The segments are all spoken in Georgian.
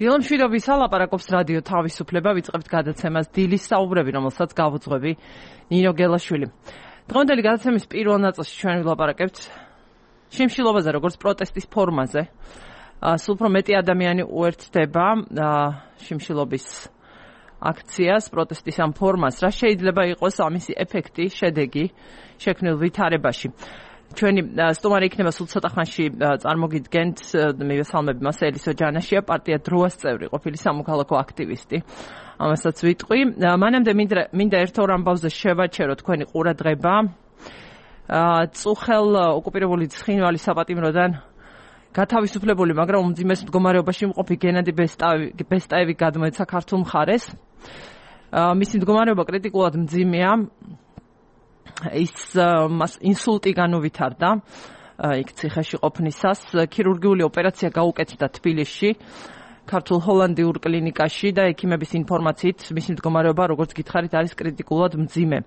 დილონ მშვიდობის ალაპარაკობს რადიო თავისუფლება, ვიწყებთ გადაცემას დილის საუბრები, რომელსაც გავუძღვები ნინო გელაშვილი. დღევანდელი გადაცემის პირველ ნაწილში ჩვენ ვილაპარაკებთ შიმშილობაზე, როგორც პროტესტის ფორმაზე. სულ უფრო მეტი ადამიანი უერთდება შიმშილობის აქციას, პროტესტის ამ ფორმას. რა შეიძლება იყოს ამისი ეფექტი, შედეგი შექმნილ ვითარებაში? ჩვენი სტუმარი იქნება სულ ცოტა ხანში წარმოგიდგენთ, მივესალმები მას ელისო ჯანაშია, პარტია დროას წევრი, ყოფილი სამოქალაქო აქტივისტი. ამასაც ვიტყვი. მანამდე მინდა ერთ ორ ამბავზე შევაჩერო თქვენი ყურადღება. წუხელ ოკუპირებული ცხინვალის საპატიმროდან გათავისუფლებული, მაგრამ უმძიმეს მდგომარეობაში მყოფი გენადი ბესტაევი გადმოეცა ქართულ მხარეს. მისი მდგომარეობა კრიტიკულად მძიმეა. ის მას ინსულტი განუვითარდა იქ ციხეში ყოფნისას. ქირურგიული ოპერაცია გაუკეთდა თბილისში, ქართულ ჰოლანდიურ კლინიკაში და ექიმების ინფორმაციით მისი მდგომარეობა, როგორც გითხარით, არის კრიტიკულად მძიმე.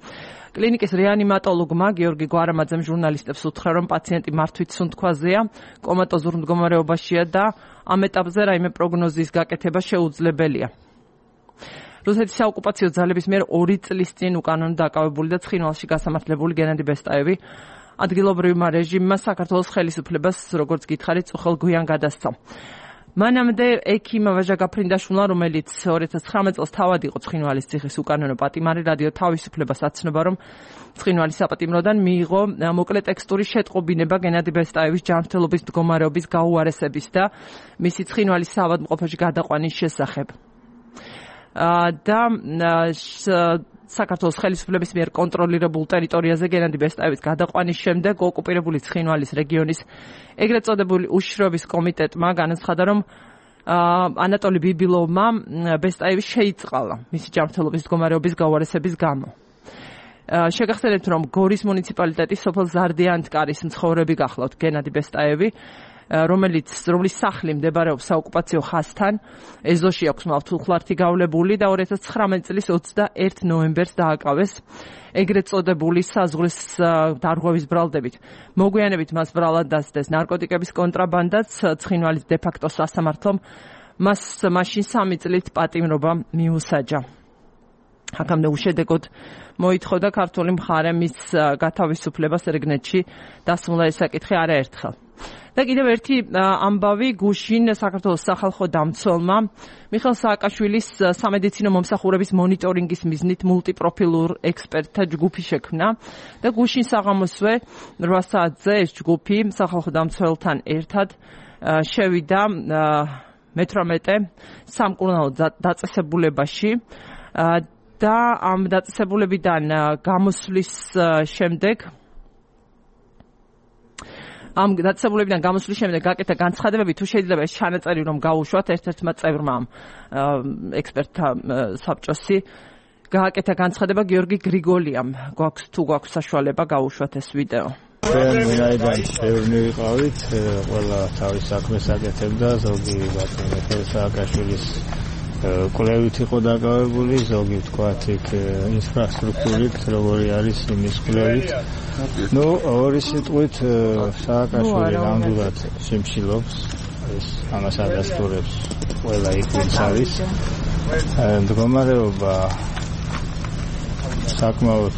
კლინიკის რეანიმატოლოგმა გიორგი გვარამაძემ ჟურნალისტებს უთხრა, რომ პაციენტი მართვით სუნთქვაზეა, კომატოზურ მდგომარეობაშია და ამ ეტაპზე რაიმე პროგნოზის გაკეთება შეუძლებელია. რუსეთის საოკუპაციო ძალების მიერ 2 წლის წინ უკანონოდ დაკავებული და ცხინვალში გასამართლებული გენადი ბესტაევი ადგილობრივმა რეჟიმმა საქართველოს ხელისუფლებას, როგორც გითხარით, წუხელ გვიან გადასცა. მანამდე ექიმ ვაჟა გაფრინდაშვილმა, რომელიც 2019 წელს თავად იყო ცხინვალის ციხის უკანონო პატიმარი, რადიო თავისუფლებას აცნობა, რომ ცხინვალის საპატიმროდან მიიღო მოკლე ტექსტური შეტყობინება გენადი ბესტაევის ჯანმრთელობის მდგომარეობის გაუარესების და მისი ცხინვალის საავადმყოფოში გადაყვანის შესახებ. და საქართველოს ხელისუფლების მიერ კონტროლირებულ ტერიტორიაზე გენადი ბესტაევის გადაყვანის შემდეგ ოკუპირებული ცხინვალის რეგიონის ეგრეთ წოდებული უშიშროების კომიტეტმა განაცხადა, რომ ანატოლი ბიბილოვმა ბესტაევი შეიწყალა მისი ჯანმრთელობის მდგომარეობის გაუარესების გამო. შეგახსენებთ, რომ გორის მუნიციპალიტეტის სოფელ ზარდიანთკარის მცხოვრები გახლავთ გენადი ბესტაევი, რომლის სახლი მდებარეობს საოკუპაციო ხაზთან, ეზოში აქვს მავთულხლართი გავლებული და 2019 წლის 21 ნოემბერს დააკავეს ეგრეთ წოდებული საზღვრის დარღვევის ბრალდებით. მოგვიანებით მას ბრალად დასდეს ნარკოტიკების კონტრაბანდაც, ცხინვალის დე-ფაქტო სასამართლომ მას მაშინ 3 წლით პატიმრობა მიუსაჯა. აქამდე უშედეგოდ მოითხოვდა ქართული მხარე მის გათავისუფლებას რეგნეთში დასმულა ეს საკითხი არაერთხელ. და კიდევ ერთი ამბავი გუშინ საქართველოს სახალხო დამცველმა მიხეილ სააკაშვილის სამედიცინო მომსახურების მონიტორინგის მიზნით მულტიპროფილურ ექსპერტთა ჯგუფი შექმნა და გუშინ საღამოსვე 8 საათზე ეს ჯგუფი სახალხო დამცველთან ერთად შევიდა მე-18 სამკურნალო დაწესებულებაში და ამ დაწესებულებიდან გამოსვლის შემდეგ გაკეთა განცხადებები, თუ შეიძლება ეს ჩანაწერი რომ გაუშვათ ერთ-ერთმა წევრმა ექსპერტთა საბჭოსი გააკეთა განცხადება გიორგი გრიგოლიამ. გვაქვს საშუალება გაუშვათ ეს ვიდეო. ჩვენ ვინაიდან ბევრი ვიყავით, ყველა თავის საქმეს აკეთებდა, ზოგი მიხეილ სააკაშვილის კვლევით იყო დაკავებული, ზოგი ვთქვათ იქ ინფრასტრუქტურით, როგორი არის იმის კვლევით. ორი სიტყვით სააკაშვილი ნამდვილად შიმშილობს, ეს ამას ადასტურებს ყველა იქ ვინც არის. მდგომარეობა საკმაოდ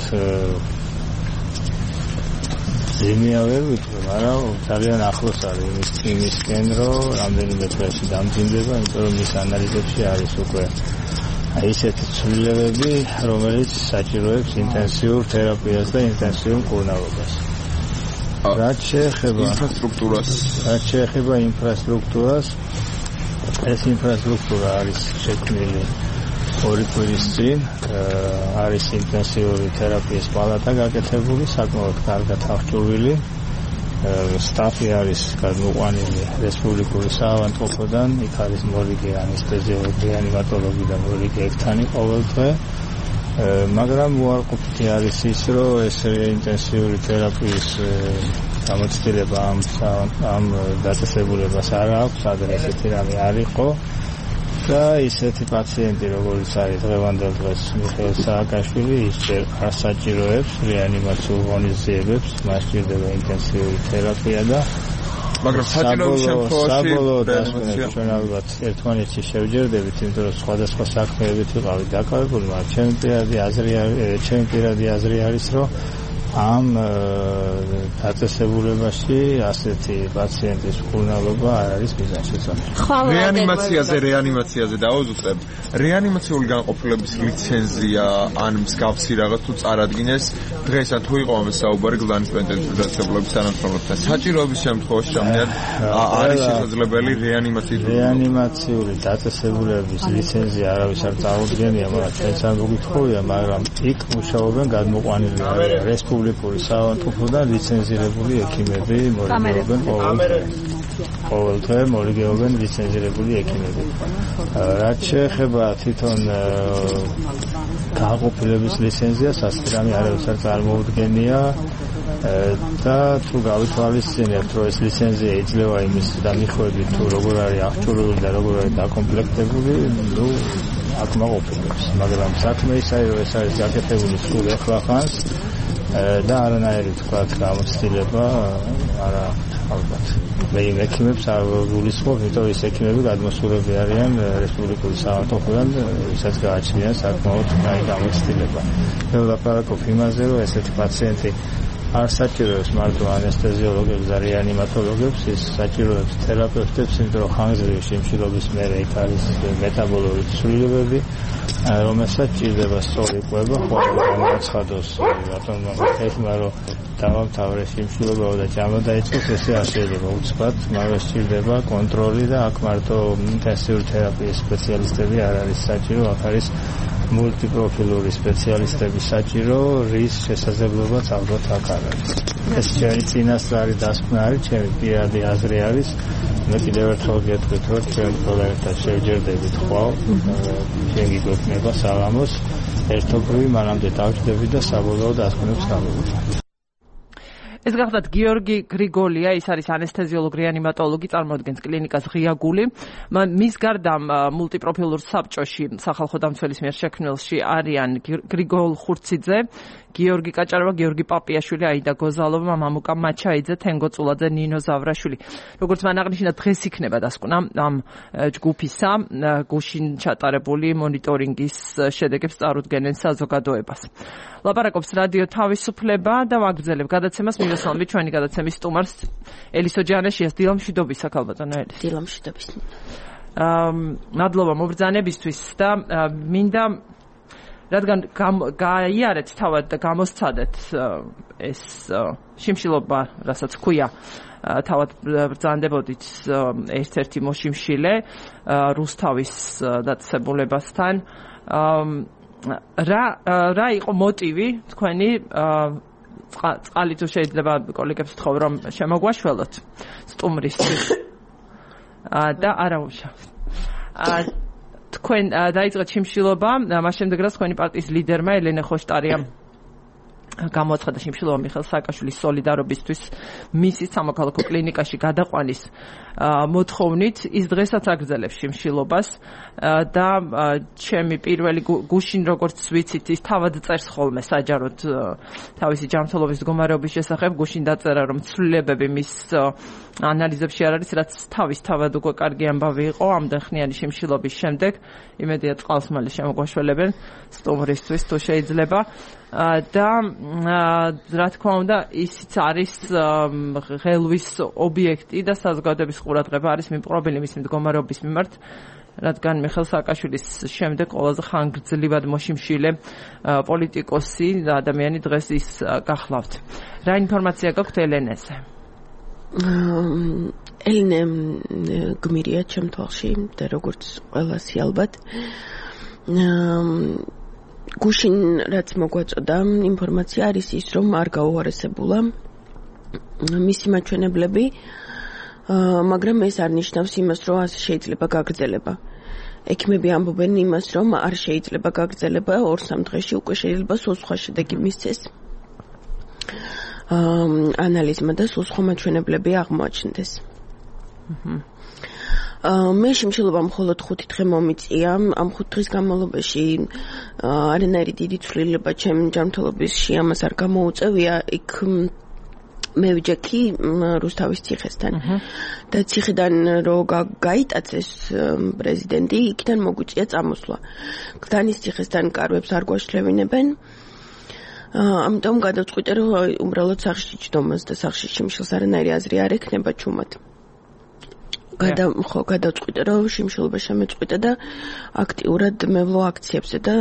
ძიმეა ვერ ვიტყვი, მაგრამ ძალიან ახლოს არის იმისკენ, რომ რამდენიმე დღეში დამძიმდება, იმიტომ რომ მის ანალიზებში არის უკვე ისეთი ცვლილებები, რომელიც საჭიროებს ინტენსიურ თერაპიას და ინტენსიურ მკურნალობას. რაც შეეხება ინფრასტრუქტურას, ეს ინფრასტრუქტურა არის შექმნილი 2 კვირის წინ, არის ინტენსიური თერაპიის პალატა გაკეთებული, საკმაოდ კარგად აღჭურვილი. სტაფი არის გადმოყვანილი რესპუბლიკური საავადმყოფოდან, იქ არის მორიგი ანესთეზიოლოგი, რეანიმატოლოგი და მორიგი ერთანი ყოველდღე. მაგრამ უარყოფითი არის ის, რომ ეს ინტენსიური თერაპიის გამოცდილება ამ დაწესებულებას არ აქვს, ადრე ესეთი რამე არ იყო. და ისეთი პაციენტი, როგორც არის დღევანდელ დღეს მიხეილ სააკაშვილი, ის ჯერ არ საჭიროებს რეანიმაციულ ღონისძიებებს, მას სჭირდება ინტენსიური თერაპია და მაგრამ საჭიროების შემთხვევაში ჩვენ ალბათ ერთმანეთში შევჯერდებით, იმიტომ რომ სხვადასხვა საქმეებით ვიყავით დაკავებული, მაგრამ ჩემი პირადი აზრი არის, რომ ამ დაწესებულებაში ასეთი პაციენტის მკურნალობა არ არის მიზანშეწონილი. რეანიმაციაზე დავუძუხებ. რეანიმაციული განყოფილების ლიცენზია ან მსგავსი რაღაც თუ წარადგინეს დღესაც თუ იყო ამას საუბარი გლანის პენტენციის დაწესებულების თანამშრომლებთან. საჭიროების შემთხვევაში რამდენად არის შესაძლებელი რეანიმაციული დაწესებულების ლიცენზია არავის არ წარუდგენია, მაგრამ ჩვენც არ მოგითხოვია, მაგრამ იქ მუშაობენ გადმოყვანილი რესპუბლიკური საავადმყოფოდან ლიცენზირებული ექიმები, მორიგეობენ ლიცენზირებული ექიმები. რაც შეეხება თვითონ განყოფილების ლიცენზიას, ასე რამე არავის არ წარმოუდგენია და თუ გავითვალისწინებთ, რომ ეს ლიცენზია იძლევა იმის დამიხვედრით, თუ როგორ არის აღჭურვილი და როგორ არის დაკომპლექტებული, აქ ყოფილებს, მაგრამ საქმე ისაა, რომ ეს არის გაკეთებული სულ ახლახანს და არანაირი თქვათ გამოცდილება არა ალბათ. მე იმ ექიმებს არ გულისხმობ, იმიტომ რომ ეს ექიმები გადმოსულები არიან რესპუბლიკური საავადმყოფოდან, ვისაც გააჩნია საკმაოდ კაი გამოცდილება. მე ვლაპარაკობ იმაზე, რომ ესეთი პაციენტი არ საჭიროებს მარტო ანესთეზიოლოგებს და რეანიმატოლოგებს, ის საჭიროებს თერაპევტებს, იმიტომ რომ ხანგრძლივი შიმშილობის მერე იქ არის მეტაბოლური ცვლილებები, რომელსაც ჭირდება სწორი კვება, ხოლმე გამოაცხადოს ბატონმა ეხმა, რომ დავამთავრე შიმშილობა და ჯამა დაიწყოს, ესე არ შეიძლება უცბად, მაგრამ ჭირდება კონტროლი და აქ მარტო ინტენსიური თერაპიის სპეციალისტები არ არის საჭირო, აქ არის მულტიპროფილური სპეციალისტები საჭირო, რის შესაძლებლობაც ალბათ აქ არ არის. ეს ჩვენი წინასწარი დასკვნა არის, ჩემი პირადი აზრი არის. მე კიდევ ერთხელ გეტყვით, რომ ჩვენ პროექტად შევჯერდებით ხვალ, ჩვენ გიგვექნება საღამოს, ერთობრივი მანამდე დავჭდები და საბოლოო დასკვნებს გავუვით. ეს გახლავთ გიორგი გრიგოლია, ის არის ანესთეზიოლოგი, რეანიმატოლოგი, წარმოადგენს კლინიკას ღია გული. მის გარდა მულტიპროფილურ საბჭოში სახალხო დამცველის მიერ შექმნილში არიან გრიგოლ ხურციძე, გიორგი კაჭაროვა, გიორგი პაპიაშვილი, აიდა გოზალოვა, მამუკა მაჩაიძე, თენგო წულაძე, ნინო ზავრაშვილი. როგორც მან აღნიშნა, დღეს იქნება დასკვნა ამ ჯგუფისა, გუშინ ჩატარებული მონიტორინგის შედეგებს წარუდგენენ საზოგადოებას. ლაპარაკობს რადიო თავისუფლება და ვაგრძელებ გადაცემას მიროსლავი ჩვენი გადაცემის სტუმარს ელისო ჯანაშიას დილამშვიდობისა ქალბატონო ელის. დილამშვიდობის. მადლობა მობრძანებისთვის და მინდა რადგან გაიარეთ თავად და გამოსცადეთ ეს შიმშილობა, რასაც ქვია, თავად ბრძანდებოდით ერთ-ერთი მოშიმშილე რუსთავის დაწესებულებასთან. რა იყო მოტივი თქვენი წყალი თუ შეიძლება კოლეგებს ვთხოვ რომ შემოგვაშველოთ სტუმრისთვის და არა უშავს თქვენ დაიწყეთ შიმშილობა მას შემდეგ რაც თქვენი პარტიის ლიდერმა ელენე ხოშტარიამ გამოაცხადა შიმშილობა მიხეილ სააკაშვილის სოლიდარობისთვის მისი სამოქალაქო კლინიკაში გადაყვანის მოთხოვნით ის დღესაც აგრძელებს შიმშილობას და ჩემი პირველი გუშინ როგორც ვიცით ის თავად წერს ხოლმე საჯაროდ თავისი ჯანმრთელობის მდგომარეობის შესახებ გუშინ დაწერა რომ ცვლილებები მის ანალიზებში არ არის რაც თავად უკვე კარგი ამბავი იყო ამდენ ხნიანი შიმშილობის შემდეგ იმედია წყალს მალე შემოგვაშველებენ სტუმრისთვის თუ შეიძლება და რა თქმა უნდა ისიც არის ღელვის ობიექტი და საზოგადოების ყურადღება არის მიმყრობელი მისი მდგომარეობის მიმართ რადგან მიხეილ სააკაშვილის შემდეგ ყველაზე ხანგრძლივად მოშიმშილე პოლიტიკოსი და ადამიანი დღეს ის გახლავთ. რა ინფორმაცია გაქვთ ელენეზე? ელენე გმირია ჩემ თვალში და როგორც ყველასი ალბათ გუშინ რაც მოგვაწოდა ინფორმაცია არის ის რომ არ გაუარესებულა მისი მაჩვენებლები მაგრამ ეს არ ნიშნავს იმას რომ ასე შეიძლება გაგრძელება ექიმები ამბობენ იმას რომ არ შეიძლება გაგრძელება 2-3 დღეში უკვე შეიძლება სულ სხვა შედეგი მისცეს ანალიზმა და სულ სხვა მაჩვენებლები აღმოაჩნდეს მე შიმშილობა მხოლოდ 5 დღე მომიწია ამ 5 დღის განმავლობაში არანაირი დიდი ცვლილება ჩემ ჯანმრთელობაში ამას არ გამოუწევია იქ მე ვიჯექი რუსთავის ციხესთან და ციხიდან რო გაიტაცეს პრეზიდენტი იქიდან მოგვიწია წამოსვლა. გდანის ციხესთან კარვებს არ გვაშლევინებენ. ამიტომ გადავწყვიტე რომ უბრალოდ სახლში ჯდომას და სახლში შიმშილს არანაირი აზრი არ ექნება ჩუმად. გადავწყვიტე რომ შიმშილობა შემეწყვიტა და აქტიურად მევლო აქციებზე და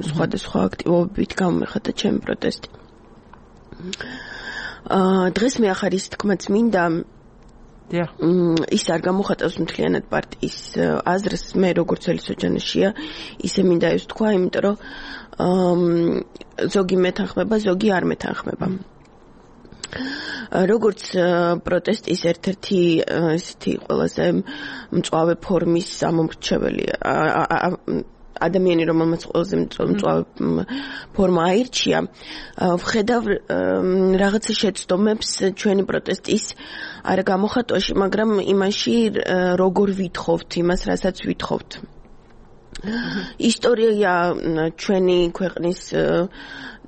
სხვადასხვა აქტივობებით გამომეხადა ჩემი პროტესტი. დღეს მე ახარ ის თქმაც მინდა ის არ გამოხატავს მთლიანად პარტიის აზრს მე როგორც ელისოჯანაშია ისე მინდა ეს თქვა იმიტომ რომ ზოგი მეთანხმება ზოგი არ მეთანხმება როგორც პროტესტის ერთ-ერთი ესეთი ყველაზე მწვავე ფორმის ამომრჩეველი ადამიანი რომელმაც ყველაზე მწვავე ფორმა აირჩია ვხედავ რაღაცა შეცდომებს ჩვენი პროტესტის არ გამოხატვაში მაგრამ იმაში როგორ ვითხოვთ იმას რასაც ვითხოვთ ისტორია ჩვენი ქვეყნის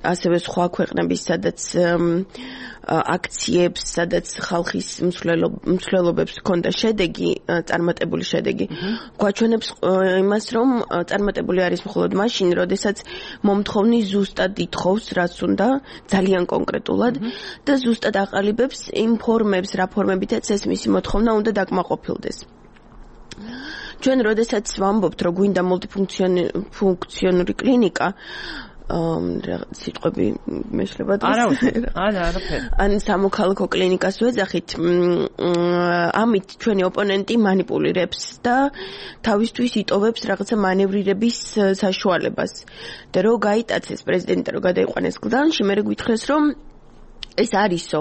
ასევე სხვა ქვეყნების სადაც აქციებს სადაც ხალხის მსვლელობებს ჰქონდა შედეგი წარმატებული შედეგი გვაჩვენებს იმას რომ წარმატებული არის მხოლოდ მაშინ როდესაც მომთხოვნი ზუსტად ითხოვს რაც უნდა ძალიან კონკრეტულად და ზუსტად აყალიბებს იმ ფორმებს რა ფორმებითაც ეს მისი მოთხოვნა უნდა დაკმაყოფილდეს ჩვენ როდესაც ვამბობთ რომ გვინდა მულტიფუნქციონური კლინიკა სიტყვები მეშლება არაფერი ან სამოქალაქო კლინიკას ვეძახით ამით ჩვენი ოპონენტი манипуლირებს და თავისთვის იტოვებს რაღაცა მანევრირების საშუალებას და რო გაიტაცეს პრეზიდენტი რო გადაიყვანეს გლდანში მე გვითხრეს რომ ეს არისო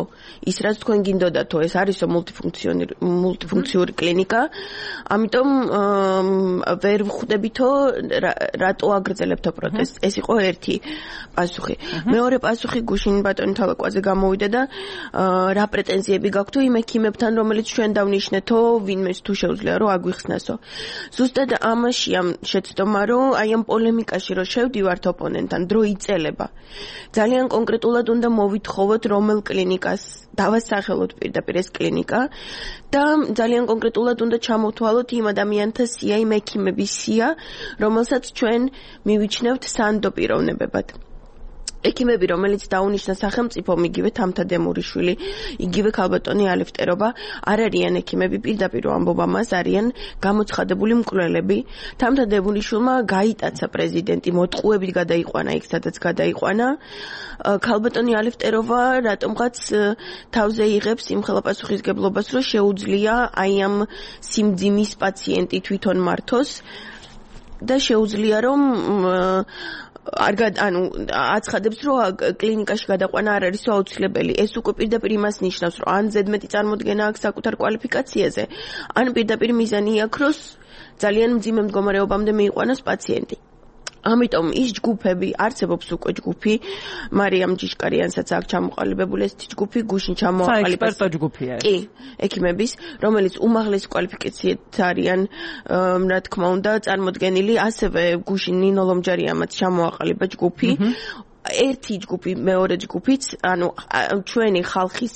ის რაც თქვენ გინდოდათო ეს არისო მულტიფუნქციური კლინიკა ამიტომ ვერ ვხვდებითო რატო აგრძელებთო პროტესტს ეს იყო ერთი პასუხი მეორე პასუხი გუშინ ბატონი თალაკვაძე გამოვიდა და რა პრეტენზიები გაქვთ იმ ექიმებთან რომელიც ჩვენ დავნიშნეთო ვინმეს თუ შეუძლია რომ აგვიხსნასო ზუსტად ამაშია შეცდომა რომ აი ამ პოლემიკაში რომ შევდივართ ოპონენტთან დრო იწელება ძალიან კონკრეტულად უნდა მოვითხოვოთ რომელ კლინიკას დავასახელოთ პირდაპირ ეს კლინიკა და ძალიან კონკრეტულად უნდა ჩამოვთვალოთ იმ ადამიანთა სია, იმ ექიმების სია, რომელსაც ჩვენ მივიჩნევთ სანდო პიროვნებებად. ექიმები, რომელიც დაუნიშნა სახელმწიფომ, იგივე თამთა დემურიშვილი, იგივე ქალბატონი ალიფტერობა, არ არიან ექიმები, პირდაპირ ამბობ ამას, არიან გამოცხადებული მკვლელები. თამთა დემურიშვილმა გაიტაცა პრეზიდენტი, მოტყუებით გადაიყვანა იქ, სადაც გადაიყვანა. ქალბატონი ალიფტერობა რატომღაც თავზე იღებს იმ ხელაპასუხისგებლობას, რომ შეუძლია აი ამ სიმძიმის პაციენტი თვითონ მართოს და შეუძლია რომ ანუ აცხადებს რომ კლინიკაში გადაყვანა არ არის აუცილებელი ეს უკვე პირდაპირ იმას ნიშნავს რომ ან ზედმეტი წარმოდგენა აქვს საკუთარ კვალიფიკაციაზე ან პირდაპირ მიზანი აქვს რომ ძალიან მძიმე მდგომარეობამდე მიიყვანოს პაციენტი ამიტომ ის ჯგუფები არსებობს უკვე ჯგუფი მარიამ ჯიშკარიანსაც აქ ჩამოყალიბებული ეს ჯგუფი გუშინ ჩამოყალიბდა საექსპერტო ჯგუფია კი ექიმების რომელიც უმაღლესი კვალიფიკაციით არიან რა თქმა უნდა წარმოდგენილი ასევე გუშინ ნინო ლომჯარიამაც ჩამოაყალიბა ჯგუფი ერთი ჯგუფი მეორე ჯგუფიც ანუ ჩვენი ხალხის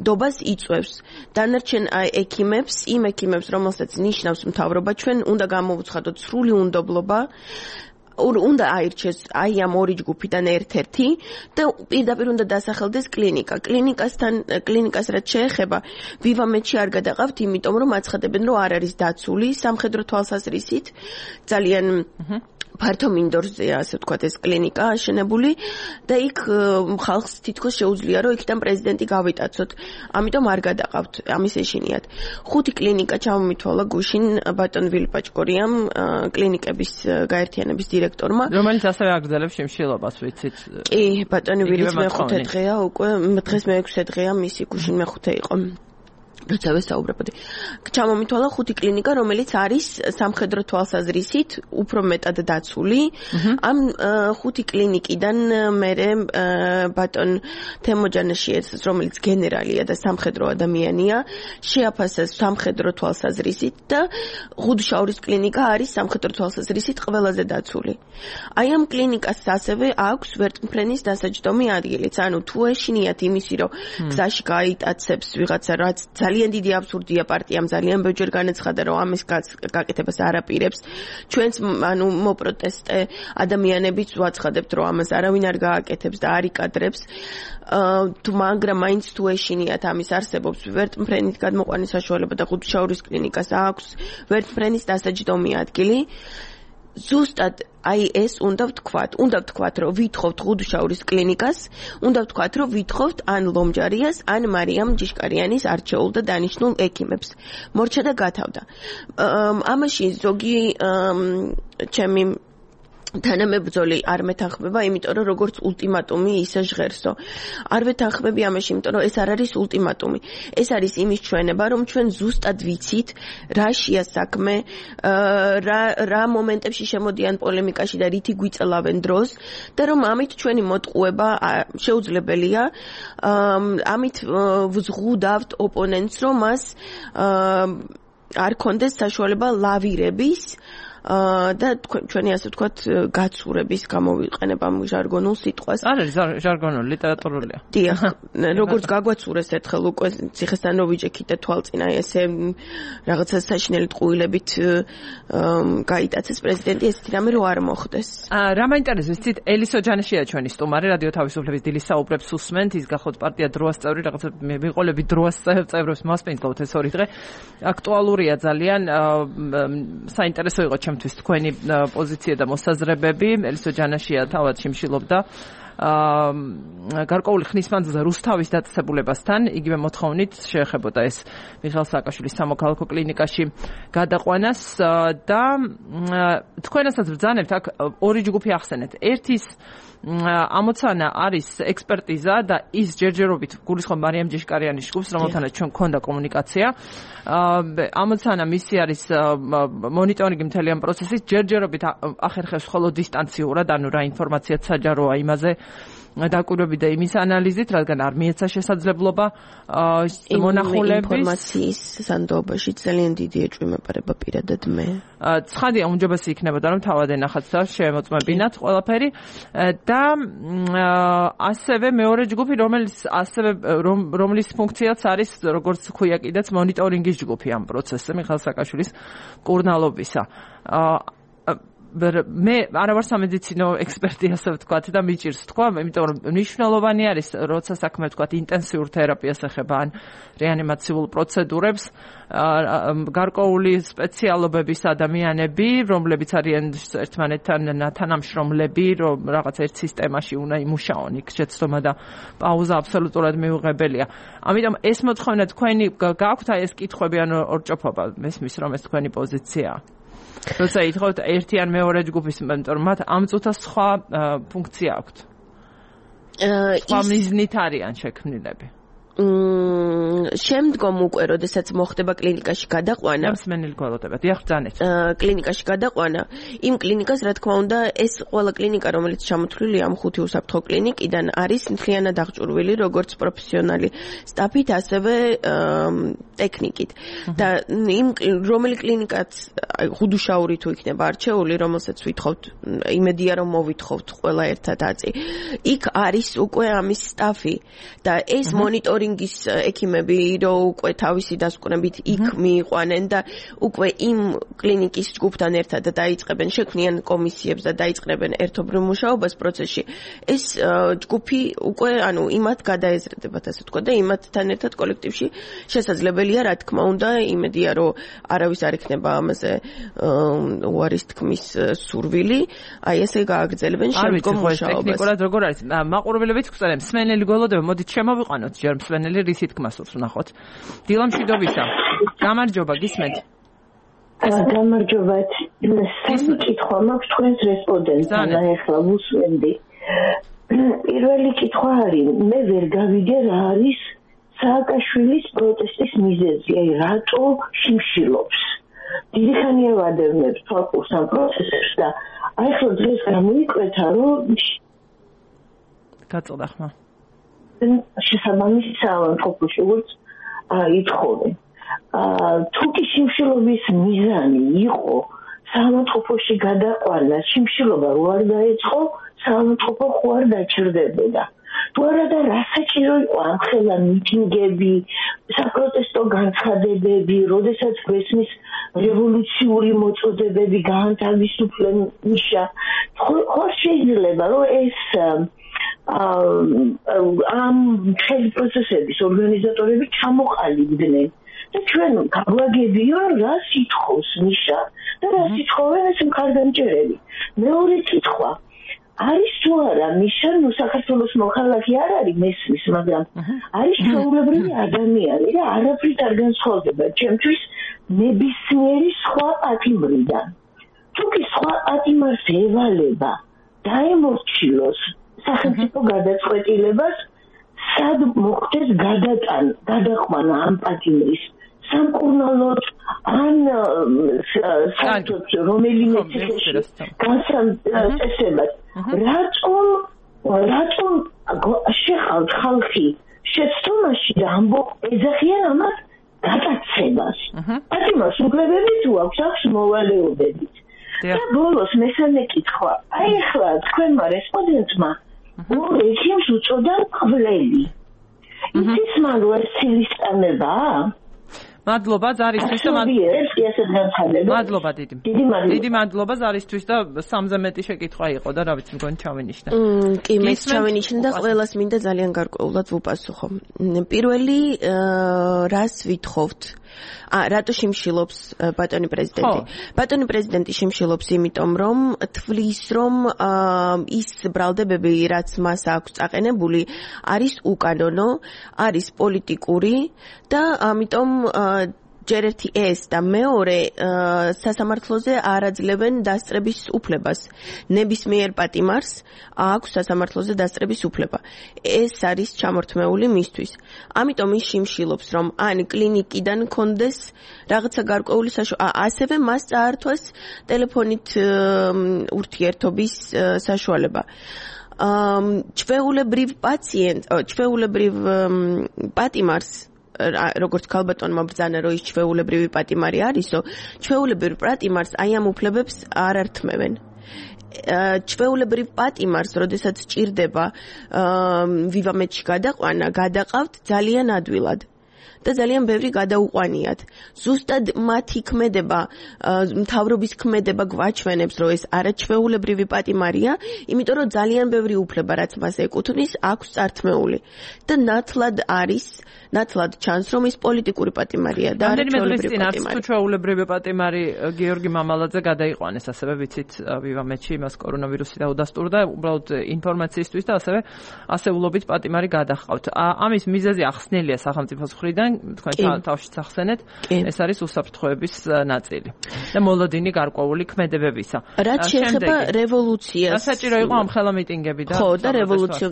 დობას იწვევს დანარჩენ ექიმებს იმ ექიმებს რომელსაც ნიშნავს მთავრობა ჩვენ უნდა გამოვუცხადოთ სრული უნდობლობა უნდა აირჩეს აი ამ ორი ჯგუფიდან ერთ-ერთი და პირდაპირ უნდა დასახელდეს კლინიკა კლინიკას რაც შეეხება ვივამეთში არ გადაყავთ იმიტომ რომ აცხადებენ რომ არ არის დაცული სამხედრო თვალსაზრისით ძალიან ფართო მინდორზეა ასე ვთქვათ ეს კლინიკა აშენებული და იქ ხალხს თითქოს შეუძლია რომ იქიდან პრეზიდენტი გავიტაცოთ ამიტომ არ გადაყავთ ამის ეშინიათ ხუთი კლინიკა ჩამომითვალა გუშინ ბატონ ვილიპაჭკორიამ κλინიკების გაერთიანების დირექტორმა რომელიც ასევე აგრძელებს შიმშილობას ვიცით კი ბატონი ვილიც მეხუთე დღეა უკვე დღეს მე6 დღეა მისი გუშინ მეხუთე იყო როცა ვესაუბრებოდი. ჩამომითვალა 5 კლინიკა, რომელიც არის სამხედრო თვალსაზრისით უფრო მეტად დაცული. ამ 5 კლინიკიდან მერე ბატონ თემოჯანაშიძე, რომელიც გენერალია და სამხედრო ადამიანია, შეაფასეს სამხედრო თვალსაზრისით და ღუდშაურის კლინიკა არის სამხედრო თვალსაზრისით ყველაზე დაცული. აი ამ კლინიკას ასევე აქვს ვერტმფრენის დასაჯდომი ადგილიც. ანუ თუ ეშინიათ იმისი, რომ გზაში გაიტაცებს ვიღაცა, რაც ძალიან დიდი აბსურდია პარტიამ ძალიან ბევრჯერ განაცხადა რომ ამის გაკეთებას არ აპირებს ჩვენც ანუ მოპროტესტე ადამიანებიც ვაცხადებთ რომ ამას არავინ არ გააკეთებს და არ იკადრებს მაგრამ მაინც თუ ეშინიათ ამის არსებობს ვერტმფრენით გადმოყვანის საშუალება და ღუდშაურის კლინიკას აქვს ვერტმფრენის დასაჯდომი ადგილი ზუსტად აი ეს უნდა ვთქვათ რომ ვითხოვთ ღუდშაურის კლინიკას უნდა ვთქვათ რომ ვითხოვთ ან ლომჯარიას ან მარიამ ჯიშკარიანის არჩეულ და დანიშნულ ექიმებს მორჩა და გათავდა ამაში ზოგი ჩემი თანამებრძოლი არ მეთანხმება, იმიტომ რომ როგორც ულტიმატუმი ისე ჟღერსო. არ ვეთანხმები ამაში, იმიტომ რომ ეს არ არის ულტიმატუმი. ეს არის იმის ჩვენება, რომ ჩვენ ზუსტად ვიცით, რაშია საქმე, რა მომენტებში შემოდიან პოლემიკაში და რითი გვიწელავენ დროს და რომ ამით ჩვენი მოტყუება შეუძლებელია. ამით ვზღუდავთ ოპონენტს, რომ მას არ კონდეს საშუალება ლავირების და ჩვენი ასე ვთქვათ გაცურების გამოვიყენებ ამ ჟარგონულ სიტყვას. არ არის ჟარგონული, ლიტერატურულია. დიახ, როგორც გაგვაცურეს ერთხელ უკვე ციხესთან როვიჯექით და თვალწინ აი ესე რაღაცა საშინელი ტყუილებით გაიტაცეს პრეზიდენტი, ესეთი რამე რო არ მოხდეს. რა მაინტერესებს ცით ელისო ჯანაშია ჩვენი სტუმარი, რადიო თავისუფლების დილის საუბრებს უსმენთ, ის გახოთ პარტია დროას წევრი, რაღაცა მიყოლები დროას წევრებს მასპინძლობთ ეს ორი დღე. აქტუალურია ძალიან, საინტერესო იყო ჩემთვის თქვენი პოზიცია და მოსაზრებები. ელისო ჯანაშია თავად შიმშილობდა გარკვეული ხნის მანძილზე რუსთავის დაწესებულებასთან, იგივე მოთხოვნით შეეხებოდა ეს მიხეილ სააკაშვილის სამოქალაქო კლინიკაში გადაყვანას და თქვენასაც ბრძანებთ აქ ორი ჯგუფი ახსენეთ. ერთის ამოცანა არის ექსპერტიზა და ის ჯერჯერობით გულისხმობ მარიამ ჯიშკარიანის ჯგუფს, რომელთანაც ჩვენ გქონდა კომუნიკაცია. ამოცანა მისი არის მონიტორინგი მთელი ამ პროცესის, ჯერჯერობით ახერხებს ხოლო დისტანციურად, ანუ რა ინფორმაციაც საჯაროა იმაზე დაკვირვები და იმის ანალიზით, რადგან არ მიეცა შესაძლებლობა მონახულების ინფორმაციის სანდოობაში ძალიან დიდი ეჭვმეპარება პირადად მე. ცხადია, უმჯობესი იქნებოდა რომ თავად ენახათ და შემოწმებინათ ყველაფერი და ასევე მეორე ჯგუფი, რომლის ფუნქციაც არის, როგორც ქვია კიდეც მონიტორინგის ჯგუფი ამ პროცესზე, მიხეილ სააკაშვილის კურნალობისა. მე არ ვარ სამედიცინო ექსპერტი, ასე ვთქვათ და მიჭირს თქვა, იმიტომ რომ მნიშვნელოვანი არის, როცა საქმე ვთქვათ ინტენსიურ თერაპიას ეხება ან რეანიმაციულ პროცედურებს, გარკვეული სპეციალობების ადამიანები, რომლებიც არიან ერთმანეთთან თანამშრომლები, რომ რაღაც ერთ სისტემაში უნდა იმუშაონ, იქ შეცდომა და პაუზა აბსოლუტურად მიუღებელია. ამიტომ ეს მოთხოვნა თქვენი გაქვთ აი ეს კითხვები ან ორჭოფობა, მესმის რომ ეს თქვენი პოზიციაა. როცა ითხოვთ ერთი ან მეორე ჯგუფის, იმიტომ რომ მათ ამ წუთას სხვა ფუნქცია აქვთ. სხვა მიზნით არიან შექმნილები. შემდგომ უკვე, როდესაც მოხდება კლინიკაში გადაყვანა, მსმენელი გველოდება. დიახ, ბრძანეთ. კლინიკაში გადაყვანა, იმ კლინიკას, რა თქმა უნდა, ეს ყველა კლინიკა, რომელიც ჩამოთვლილია ამ 5 უსაფრთხო კლინიკიდან, არის მთლიანად აღჭურვილი, როგორც პროფესიონალი სტაფით, ასევე ტექნიკით. და რომელი კლინიკაც, ღუდუშაური თუ იქნება არჩეული, რომელსაც ვითხოვთ, იმედია რომ მოვითხოვთ ყველა ერთად აწი. იქ არის უკვე ამის სტაფი და ეს მონიტორინგი ექიმები რო უკვე თავისი დასკვნებით იქ მიიყვანენ და უკვე იმ კლინიკის ჯგუფთან ერთად დაიწყებენ შექმნიან კომისიებს და დაიწყებენ ერთობრივ მუშაობას პროცესში ეს ჯგუფი უკვე ანუ იმათ გადაეზრდებათ ასე ვთქვა და იმათთან ერთად კოლექტივში შესაძლებელია რა თქმა უნდა იმედია რომ არავის არ იქნება ამაზე უარის თქმის სურვილი აი ესე გააგრძელებენ შემდგომ მუშაობას ტექნიკურად როგორ არის მაყურებლებით გვწერენ მსმენელი გველოდება მოდით შემოვიყვანოთ ჯერ მსმენელი რისით გმასურს ვნახოთ. დილა მშვიდობისა. გამარჯობა, გისმენთ. გამარჯობა. სამი კითხვა მაქვს თქვენს რესპონდენტთან, ახლა ვუსვენდი. პირველი კითხვა არის, მე ვერ გავიგე რა არის სააკაშვილის პროტესტის მიზეზი, აი რატო შიმშილობს. დიდი ხანია ვადევნებს თვალყურს ამ პროცესებს და აი ხო დღეს გამოიკვეთა, რომ გაწოდა ხმა. შესაბამისი საავადმყოფოში როგორც ითხოვენ. თუ კი შიმშილობის მიზანი იყო საავადმყოფოში გადაყვანა, შიმშილობა რო არ დაეწყო, საავადმყოფო ხო არ დაჭირდებოდა. თუ არა და რა საჭირო იყო ამ ხელა მიტინგები, საპროტესტო განცხადებები, როდესაც გვესმის რევოლუციური მოწოდებები გაანთავისუფლენ ნიშა. ხო შეიძლება რომ ეს ამ მთელი პროცესების ორგანიზატორები ჩამოყალიბდნენ და ჩვენ გაგვაგებია რა სიტყვის ნიშა და რა სიტყვენ ეს მხარდამჭერები. მეორე კითხვა არის თუ არა ნიშა ნუ საქართველოს მოქალაქე არ არის მესმის, მაგრამ არის ჩვეულებრივი ადამიანი და არაფრით არ განსხვავდება ჩემთვის ნებისმიერი სხვა პატიმრიდან. თუ კი სხვა პატიმარს ევალება დაემორჩილოს სახელმწიფო გადაწყვეტილებას, სად მოხდეს გადაყვანა ამ პატიმრის სამკურნალოდ ან საერთოდ რომელიმე განსაცდელად. რატომ შეხავთ ხალხი შეცდომაში და ამბობ ეძახიან ამას გადაცემას. პატიმარს უგლებები თუ აქვს აქვს მოვალეობებით. და ბოლოს მესამე კითხვა. აი ახლა თქვენმა რესპონდენტმა ორ ექიმს უწოდა მკვლელი. იცის მან რომ ეს ცილისწამებაა? მადლობა ზარისთვის და მადლობა დიდი მადლობა ზარისთვის და 3-ზე მეტი შეკითხვა იყო და რა ვიცი მგონი ჩავინიშნა. კი მეც ჩავინიშნა და ყველას მინდა ძალიან გარკვეულად ვუპასუხო. პირველი რას ვითხოვთ? რატო შიმშილობს ბატონი პრეზიდენტი? ბატონი პრეზიდენტი შიმშილობს იმიტომ რომ თვლის რომ ის ბრალდებები რაც მას აქვს წაყენებული არის უკანონო, არის პოლიტიკური და ამიტომ ჯერ ერთი ეს და მეორე სასამართლოზე არ აძლევენ დასწრების უფლებას. ნებისმიერ პატიმარს აქვს სასამართლოზე დასწრების უფლება. ეს არის ჩამორთმეული მისთვის. ამიტომ ის შიმშილობს რომ ან კლინიკიდან კონდეს რაღაცა გარკვეული ასევე მას წაართვეს ტელეფონით ურთიერთობის საშუალება. ჩვეულებრივ პატიმარს როგორც ქალბატონმა ბრძანა რომ ის ჩვეულებრივი პატიმარი არისო, ჩვეულებრივ პატიმარს აი ამ უფლებებს არ ართმევენ. ჩვეულებრივ პატიმარს, როდესაც ჭირდება ვივამეთში გადაყვანა, გადაყავთ ძალიან ადვილად. და ძალიან ბევრი გადაუყვანიათ. ზუსტად მათი ქმედება, მთავრობის ქმედება გვაჩვენებს, რომ ეს არაჩვეულებრივი პატიმარია, იმიტომ რომ ძალიან ბევრი უფლება, რაც მას ეკუთვნის, აქვს წართმეული. და ნათლად ჩანს, რომ ის პოლიტიკური პატიმარია და არაჩვეულებრივი პატიმარი. თუ ჩვეულებრივი პატიმარი გიორგი მამალაძე გადაიყვანეს, ასევე ვიცით ვივამეთში იმას კორონავირუსი დაუდასტურდა, უბრალოდ ინფორმაციისთვის და ასევე ასეულობით პატიმარი გადახავთ. ამის მიზეზი ახსნილია სახელმწიფოს მხრიდან, თქვენ თავშიც ახსენეთ, ეს არის უსაფრთხოების ნაწილი და მოლოდინი გარკვეული ქმედებებისა. რაც შეეხება რევოლუციას. საჭირო იყო ამ ხელა მიტინგები და ხო, და რევოლუცია.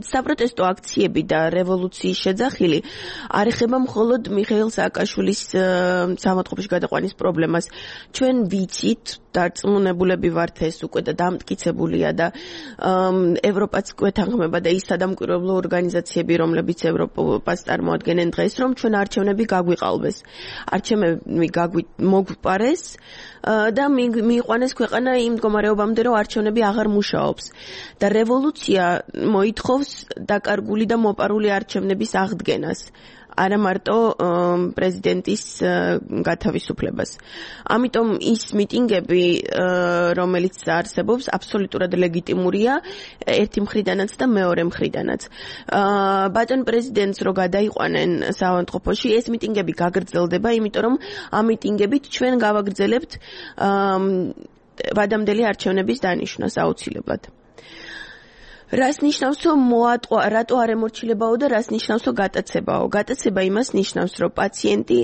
საპროტესტო აქციები და რევოლუციის შეძახილი არ ეხება მხოლოდ მიხეილ სააკაშვილის საავადმყოფოში გადაყვანის პრობლემას. ჩვენ ვიცით, დარწმუნებულები ვართ ეს უკვე და დამტკიცებულია და ევროპაც გვეთანხმება და ის სადამკვირვებლო ორგანიზაციები, რომლებიც ევროპას წარმოადგენენ დღეს, რომ ჩვენ არჩევნები გაგვიყალბეს. არჩევნები მოგვპარეს და მიიყვანეს ქვეყანა იმ მდგომარეობამდე, რომ არჩევნები აღარ მუშაობს. და რევოლუცია მოითხოვს დაკარგული და მოპარული არჩევნების აღდგენას. არა მარტო პრეზიდენტის გათავისუფლებას. ამიტომ ის მიტინგები, რომელიც არსებობს, აბსოლუტურად ლეგიტიმურია ერთი მხრიდანაც და მეორე მხრიდანაც. ბატონ პრეზიდენტს რო გადაიყვანენ საავადმყოფოში, ეს მიტინგები გაგრძელდება, იმიტომ რომ ამ მიტინგებით ჩვენ გავაგრძელებთ ვადამდელი არჩევნების დანიშვნას აუცილებლად. რას ნიშნავს რომ მოატყვა რატო არ ემორჩილებაო და რას ნიშნავს რომ გატაცებაო გატაცება იმას ნიშნავს რომ პაციენტი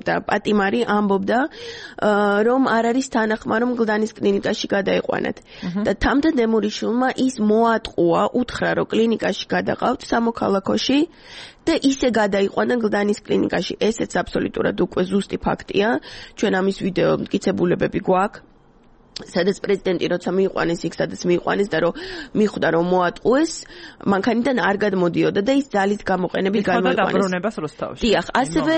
და პატიმარი ამბობდა რომ არ არის თანახმა რომ გლდანის კლინიკაში გადაიყვანათ და თამდადემურიშვილმა ის მოატყუა უთხრა რომ კლინიკაში გადაყავთ სამოქალაქოში და ისე გადაიყვანა გლდანის კლინიკაში ესეც აბსოლუტურად უკვე ზუსტი ფაქტია ჩვენ ამის ვიდეო მტკიცებულებები გვაქვს სადაც პრეზიდენტი როცა მიიყვანეს იქ სადაც მიიყვანეს და რომ მიხვდა რომ მოატყუეს მანქანიდან არ გადმოდიოდა და ის ძალით გამოყენებით გამოიყვანეს დიახ ასევე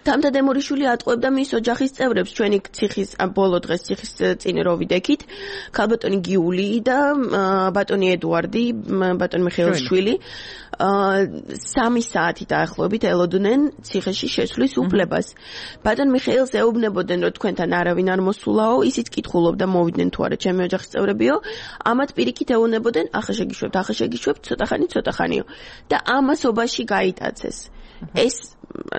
თამდადემურიშვილი ატყუებდა მის ოჯახის წევრებს ჩვენი ციხის ბოლო დღეს ციხის წინ რო ვიდექით ქალბატონი გიული და ბატონი ედუარდი ბატონი მიხეილშვილი 3 საათი დაახლოებით ელოდნენ ციხეში შესვლის უფლებას ბატონ მიხეილს ეუბნებოდნენ რომ თქვენთან არავინ არ მოსულაო ისიც კითხულობდა მოვიდნენ თუ არა ჩემი ოჯახის წევრებიო ამათ პირიქით ეუბნებოდნენ ახლა შეგიშვებთ ცოტა ხანიო და ამასობაში გაიტაცეს ეს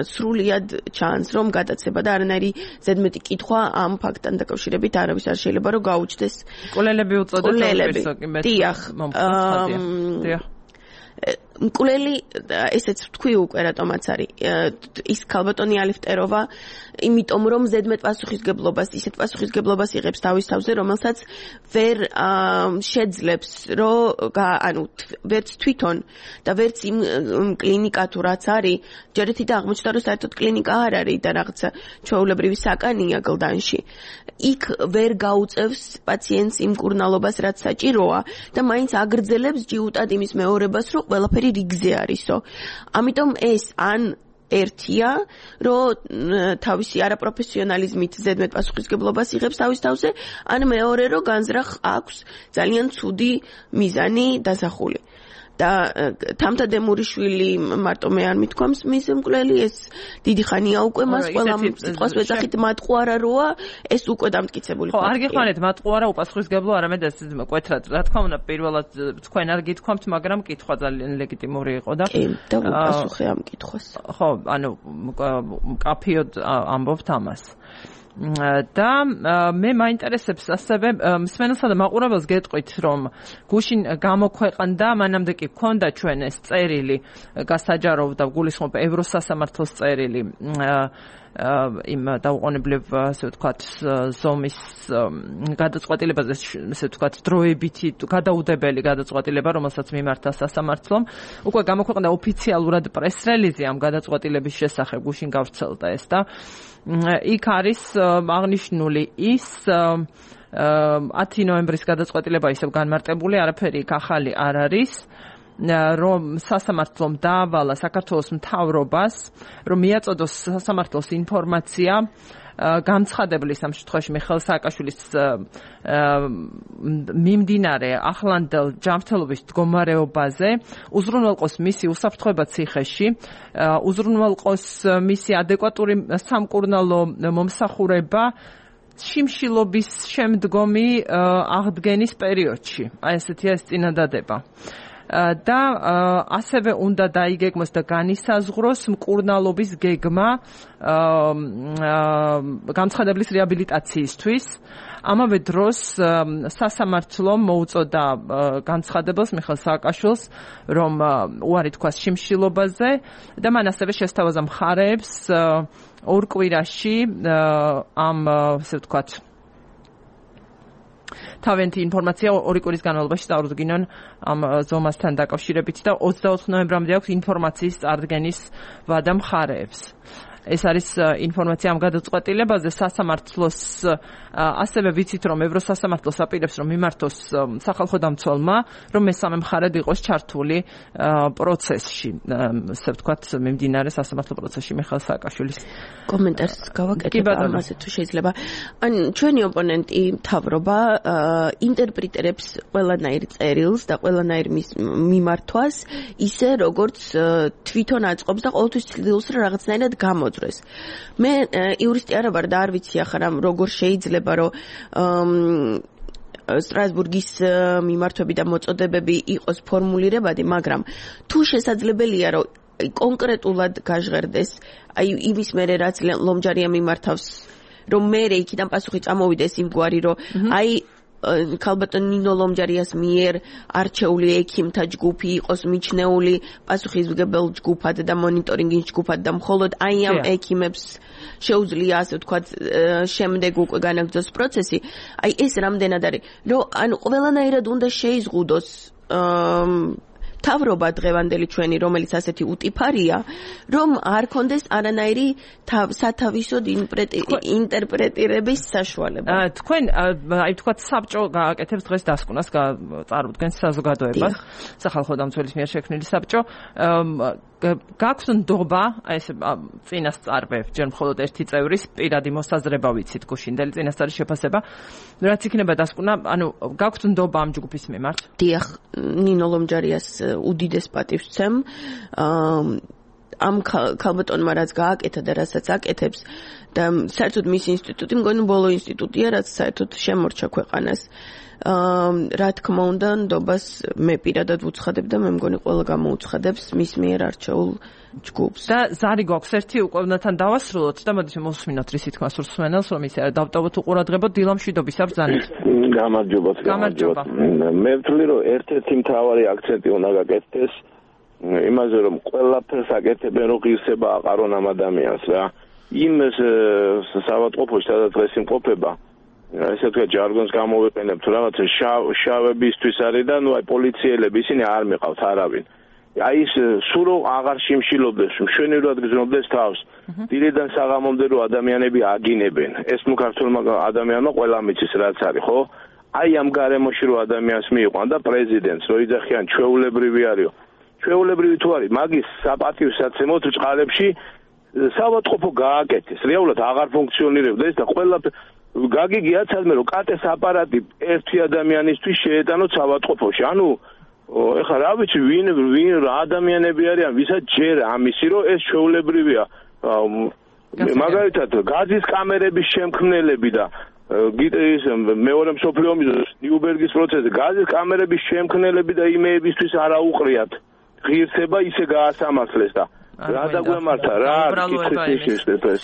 სრულიად ჩანს რომ გადაცება და არანაირი ზედმეტი კითხვა ამ ფაქტთან დაკავშირებით არავის არ შეიძლება რომ გაუჩნდეს მკვლელები უწოდეთ დიახ მკვლელი ესეც თქვი უკვე რატომაც არის ის ქალბატონი ალიფტეროვა იმიტომ რომ ზედმეტ პასუხისგებლობას ისეთ პასუხისგებლობას იღებს თავის თავზე რომელსაც ვერ შეძლებს რომ ანუ ვერც თვითონ და ვერც იმ კლინიკა თუ რაც არის ჯერეთი და აღმოჩნდა რომ საერთოდ კლინიკა არ არის და რაღაცა ჩვეულებრივი საკანია გლდანში იქ ვერ გაუწევს პაციენტს იმ მკურნალობას რაც საჭიროა და მაინც აგრძელებს ჯიუტად იმის მეორებას რომ ყველაფერი რიგზე არისო. ამიტომ ეს ან ერთია, რომ თავისი არაპროფესიონალიზმით ზედმეტ პასუხისგებლობას იღებს თავის თავზე, ან მეორე, რომ განზრახ აქვს ძალიან ცუდი მიზანი დასახული. და თამდადემურიშვილი მარტო მე არ მithქვამს მის მკვლელი ეს დიდი ხანია უკვე მას ყველა სიტყვას ვეძახით მატყუარა როა ეს უკვე დამტკიცებული ხო არ გიხმარეთ მატყუარა უპასუხისგებლო არამედ ეს მკვეთრად რა თქმა უნდა პირველად თქვენ არ გითქვამთ მაგრამ კითხვა ძალიან ლეგიტიმური იყო და კი და უპასუხე ამ კითხვას ხო ანუ კაფიოდ ამბობთ ამას და მე მაინტერესებს ასევე მსმენელსა და მაყურებელს გეტყვით რომ გუშინ გამოქვეყნდა მანამდე კი გქონდა ჩვენ ეს წერილი გასაჯაროვდა გულისხმობ ევროსასამართლოს წერილი იმ დაუყოვნებლივ ასე ვთქვათ ზომის გადაწყვეტილებაზე ასე ვთქვათ დროებითი გადაუდებელი გადაწყვეტილება რომელსაც მიმართა სასამართლომ უკვე გამოქვეყნდა ოფიციალურად პრეს-რელიზი ამ გადაწყვეტილების შესახებ გუშინ გავრცელდა ეს და იქ არის აღნიშნული ის 10 ნოემბრის გადაწყვეტილება ისევ განმარტებული არაფერი იქ ახალი არ არის რომ სასამართლომ დაავალა საქართველოს მთავრობას რომ მიაწოდოს სასამართლოს ინფორმაცია განცხადებლის ამ შემთხვევაში მიხეილ სააკაშვილის მიმდინარე ახლანდელ ჯანმრთელობის მდგომარეობაზე უზრუნველყოს მისი უსაფრთხოება ციხეში უზრუნველყოს მისი ადეკვატური სამკურნალო მომსახურება შიმშილობის შემდგომი აღდგენის პერიოდში აი ესეთია ეს წინადადება და ასევე უნდა დაიგეგმოს და განისაზღვროს მკურნალობის გეგმა განცხადებლის რეაბილიტაციისთვის. ამავე დროს სასამართლომ მოუწოდა განცხადებელს მიხეილ სააკაშვილს, რომ უარი თქვას შიმშილობაზე და მან ასევე შესთავაზა მხარეებს ორ კვირაში ამ ასე ვთქვათ თავენთი ინფორმაცია ორი კვირის განმავლობაში წარუდგინონ ამ ზომასთან დაკავშირებით და 24 ნოემბრამდე აქვს ინფორმაციის წარდგენის ვადა მხარეებს. ეს არის ინფორმაცია ამ გადაწყვეტილებაზე სასამართლოს ასევე ვიცით რომ ევროსასამართლოს აპირებს რომ მიმართოს სახალხო დამცველმა რომ მესამე მხარედ იყოს ჩართული პროცესში ასე ვთქვათ მიმდინარე სასამართლო პროცესში მიხეილ სააკაშვილის კომენტარს გავაკეთებ ამაზე თუ შეიძლება ან ჩვენი ოპონენტი მთავრობა ინტერპრეტირებს ყველანაირ წერილს და ყველანაირ მიმართვას ისე როგორც თვითონ აწყობს და ყოველთვის ცდილობს რომ რაღაცნაირად გამოძრეს მე იურისტი არ ვარ და არ ვიცი ახლა როგორ შეიძლება რომ სტრასბურგის მიმართვები და მოწოდებები იყოს ფორმულირებადი, მაგრამ თუ შესაძლებელია რომ კონკრეტულად გაჟღერდეს, აი იმის მერე რაც ლომჯარია მიმართავს, რომ მე იქიდან პასუხი წამოვიდეს იმგვარი, რომ აი ქალბატონ ნინო ლომჯარიას მიერ არჩეული ექიმთა ჯგუფი იყოს მიჩნეული პასუხისმგებელ ჯგუფად და მონიტორინგის ჯგუფად და მხოლოდ აი ამ ექიმებს შეუძლია ასე ვთქვათ შემდეგ უკვე განაგრძოს პროცესი აი ეს რამდენად არის რომ ანუ ყველანაირად უნდა შეიზღუდოს თავრობა დღევანდელი ჩვენი რომელიც ασეთი უტიფარია რომ არ კონდეს არანაირი სათავისოდ ინტერპრეტირების საშუალება თქვენ აი ვთქვათ საბჭო გააკეთებს დღეს დასკვნას წარუდგენს საზოგადოებას სახალხო დამცველის მიერ შექმნილი საბჭო გაქვთ ნდობა აი ეს წინასწარბე ჯერ მხოლოდ ერთი წევრის პირადი მოსაზრება ვიცით გუშინდელი წინასწარის შეფასება რაც იქნება დასკვნა ანუ გაქვთ ნდობა ამ ჯგუფის მიმართ დიახ ნინო ლომჯარიას უდიდეს პატივს ვცემ ამ ქალბატონმა რაც გააკეთა და რასაც აკეთებს და საერთოდ მის ინსტიტუტი მგონი ბოლო ინსტიტუტია რაც საერთოდ შემორჩა ქვეყანას რა თქმა უნდა ნდობას მე პირადად ვუცხადებ და მე მგონი ყველა გამოუცხადებს მის მიერ არჩეულ ჯგუფს და ზარი გვაქვს ერთი უკვე უნდათ დავასრულოთ და მოდით მოსმინოთ რისი თქმა სურს სვენელს რომ ისე დავტოვოთ უყურადღებოთ დილამ მშვიდობის აბრძანეთ გამარჯობა მე ვთვლი რომ ერთ-ერთი მთავარი აქცენტი უნდა გაკეთდეს იმაზე რომ ყველაფერს აკეთებენ რომ ღირსება აყარონ ამ ადამიანს რა იმ საავადმყოფოში სადაც დღეს იმყოფება ესე თქვა ჯარგონს გამოვიყენებთ რაღაცა შავებისთვის არის და ნუ აი პოლიციელები ისინი არ მიყავთ არავინ აი ის სულ აღარ შიმშილობდეს მშვენივრად გზნობდეს თავს დილიდან საღამომდე რომ ადამიანები აგინებენ ეს ნუ ქართულმა ადამიანმა ყველა მიცის რაც არის ხო აი ამ გარემოში რომ ადამიანს მიიყვან და პრეზიდენტს რო იძახიან ჩვეულებრივი არისო ჩვეულებრივი თუ არის მაგის საპატივსაცემოდ წყალებში საავადმყოფო გააკეთეს რეალურად აღარ ფუნქციონირებდა ეს და ყველა გაგიგიათ სადმე რომ კატეს აპარატი ერთი ადამიანისთვის შეეტანოთ საავადმყოფოში ანუ ეხლა რა ვიცი ვინ ადამიანები არიან ვისაც ჯერ ამისი რომ ეს ჩვეულებრივია მაგალითად გაზის კამერების შემქმნელები და გიტრის მეორე მსოფლიო ომის ნიუბერგის პროცესზე გაზის კამერების შემქმნელები და იმეებისთვის არა უყრიათ ღირსება ისე გაასამართლეს და რა დაგვემართა რა კითხვის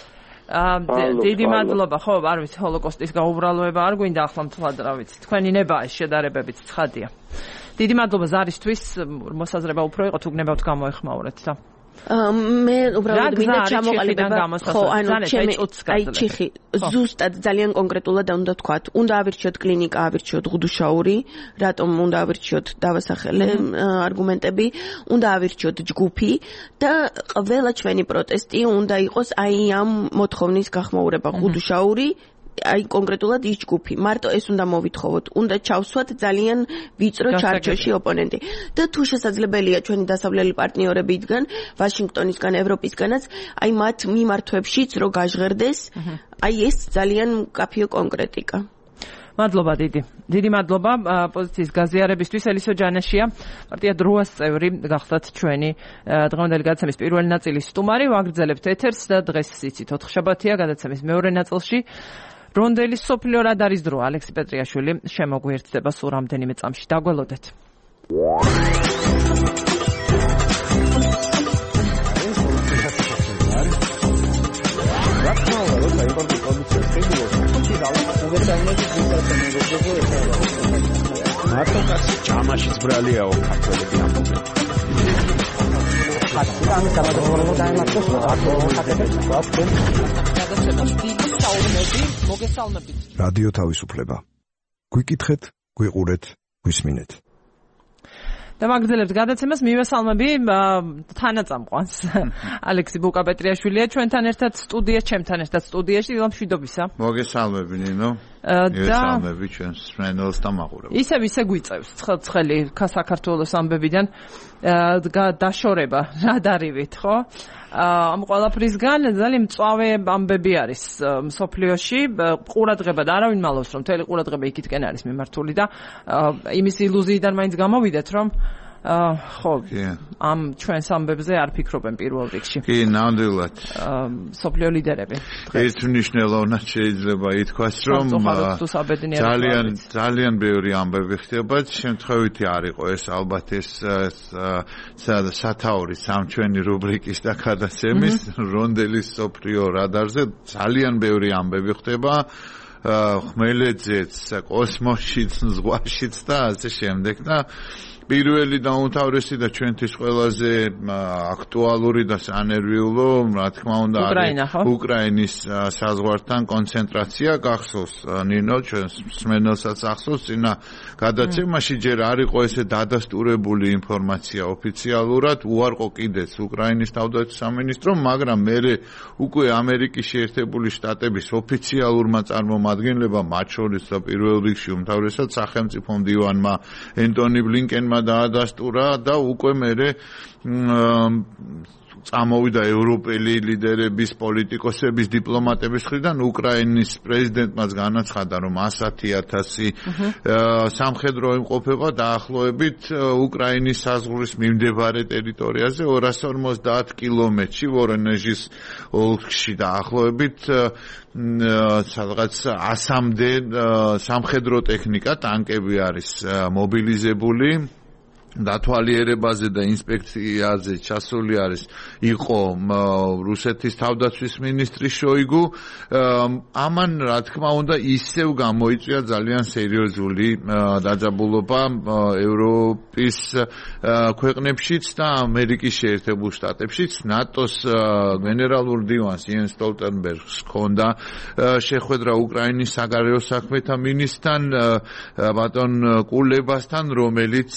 დიდი მადლობა ხო არ ვიცი ჰოლოკოსტის გაუბრალოება არ გვინდა ახლა მთლად რა ვიცი თქვენი ნება შედარებებით ცხადია დიდი მადლობა ზარისთვის მოსაზრება უფრო იყო თუ გნებავთ გამოეხმაურეთ და მე უბრალოდ მინდა ჩამოყალიბება ხო ანუ ჩემი აი ჩიხი ზუსტად ძალიან კონკრეტულად უნდა ვთქვათ უნდა ავირჩიოთ კლინიკა ავირჩიოთ ღუდუშაური რატომ უნდა ავირჩიოთ დავასახელე არგუმენტები უნდა ავირჩიოთ ჯგუფი და ყველა ჩვენი პროტესტი უნდა იყოს აი ამ მოთხოვნის გახმაურება ღუდუშაური აი კონკრეტულად ის ჯგუფი მარტო ეს უნდა მოვითხოვოთ უნდა ჩავსვათ ძალიან ვიწრო ჩარჩოში ოპონენტი და თუ შესაძლებელია ჩვენი დასავლელი პარტნიორებიდან ვაშინგტონისგან ევროპისგანაც აი მათ მიმართვებშიც რო გაჟღერდეს აი ეს ძალიან მკაფიო კონკრეტიკა მადლობა დიდი მადლობა პოზიციის გაზიარებისთვის ელისო ჯანაშია პარტია დროას წევრი გახდათ ჩვენი დღევანდელი გადაცემის პირველი ნაწილის სტუმარი ვაგრძელებთ ეთერს და დღეს იცით 4 შაბათია გადაცემის მეორე ნაწილში რონდელის სოფლიო რადარის დრო ალექსი პეტრიაშვილი შემოგვიერთდება სულ რამდენიმე წამში დაგველოდეთ მარტოკასი ჯამაშიც ბრალიაო ქართველები ამბობენ ხატიდან გამოდროულობა დაემართოს რადიო თავისუფლება გვიკითხეთ გვიყურეთ გვისმინეთ და მაგძელებთ გადაცემას მივესალმები თანაწამყვანს ალექსი ბუკა-პეტრიაშვილია ჩვენთან ერთად სტუდიაში ჩემთან ერთად სტუდიაში მშვიდობისა მოგესალმები ნინო მივესალმები ჩვენს ფრენდელს და მაყურებელს ისე გვიწევს ცხელი საქართველოს ამბებიდან დაშორება რადარივით ხო ამ ყველაფრისგან ძალიან მწვავე ამბები არის მსოფლიოში ყურადღება და არავინ მალავს რომ მთელი ყურადღება იქითკენ არის მიმართული და იმის ილუზიიდან მაინც გამოვიდეთ რომ ხო ამ ჩვენს ამბებზე არ ფიქრობენ პირველ რიგში კი ნამდვილად მსოფლიო ლიდერები ერთმნიშვნელოვნად შეიძლება ითქვას რომ ძალიან ბევრი ამბები ხდება შემთხვევითი არ იყო ეს ალბათ ეს სათაური სამჩვენი რუბრიკის და გადაცემის რონდელის მსოფლიო რადარზე ძალიან ბევრი ამბები ხდება ხმელეთზეც, კოსმოსშიც, ზღვაშიც და ასე შემდეგ და პირველი და უმთავრესი და ჩვენთვის ყველაზე აქტუალური და სანერვიულო, რა თქმა უნდა, უკრაინის საზღვართან კონცენტრაცია გახსოვს ნინო ჩვენს მსმენელსაც ახსოვს წინა გადაცემაში ჯერ არ იყო ესე დადასტურებული ინფორმაცია ოფიციალურად, უარყო კიდეც უკრაინის თავდაცვის სამინისტრომ, მაგრამ მერე უკვე ამერიკის შეერთებული შტატების ოფიციალურმა წარმომადგენლებმა, მათ შორის და პირველ რიგში უმთავრესად სახელმწიფო მდივანმა ენტონი ბლინკენმა დაადასტურა და უკვე მერე წამოვიდა ევროპელი ლიდერების, პოლიტიკოსების, დიპლომატების მხრიდან უკრაინის პრეზიდენტმაც განაცხადა, რომ 100,000 სამხედრო იმყოფება დაახლოებით უკრაინის საზღვრის მიმდებარე ტერიტორიაზე 250 კილომეტრში ვორონეჟის ოლქში დაახლოებით სადღაც 100-მდე სამხედრო ტექნიკა, ტანკები არის მობილიზებული. დათვალიერებაზე და ინსპექციაზე ჩასული იყო რუსეთის თავდაცვის მინისტრი შოიგუ. ამან რა თქმა უნდა ისევ გამოიწვია ძალიან სერიოზული დაძაბულობა ევროპის ქვეყნებშიც და ამერიკის შეერთებულ შტატებშიც. ნატოს გენერალურ დივანს იენს სტოლტენბერგს ჰქონდა შეხვედრა უკრაინის საგარეო საქმეთა მინისტრთან ბატონ კულებასთან, რომელიც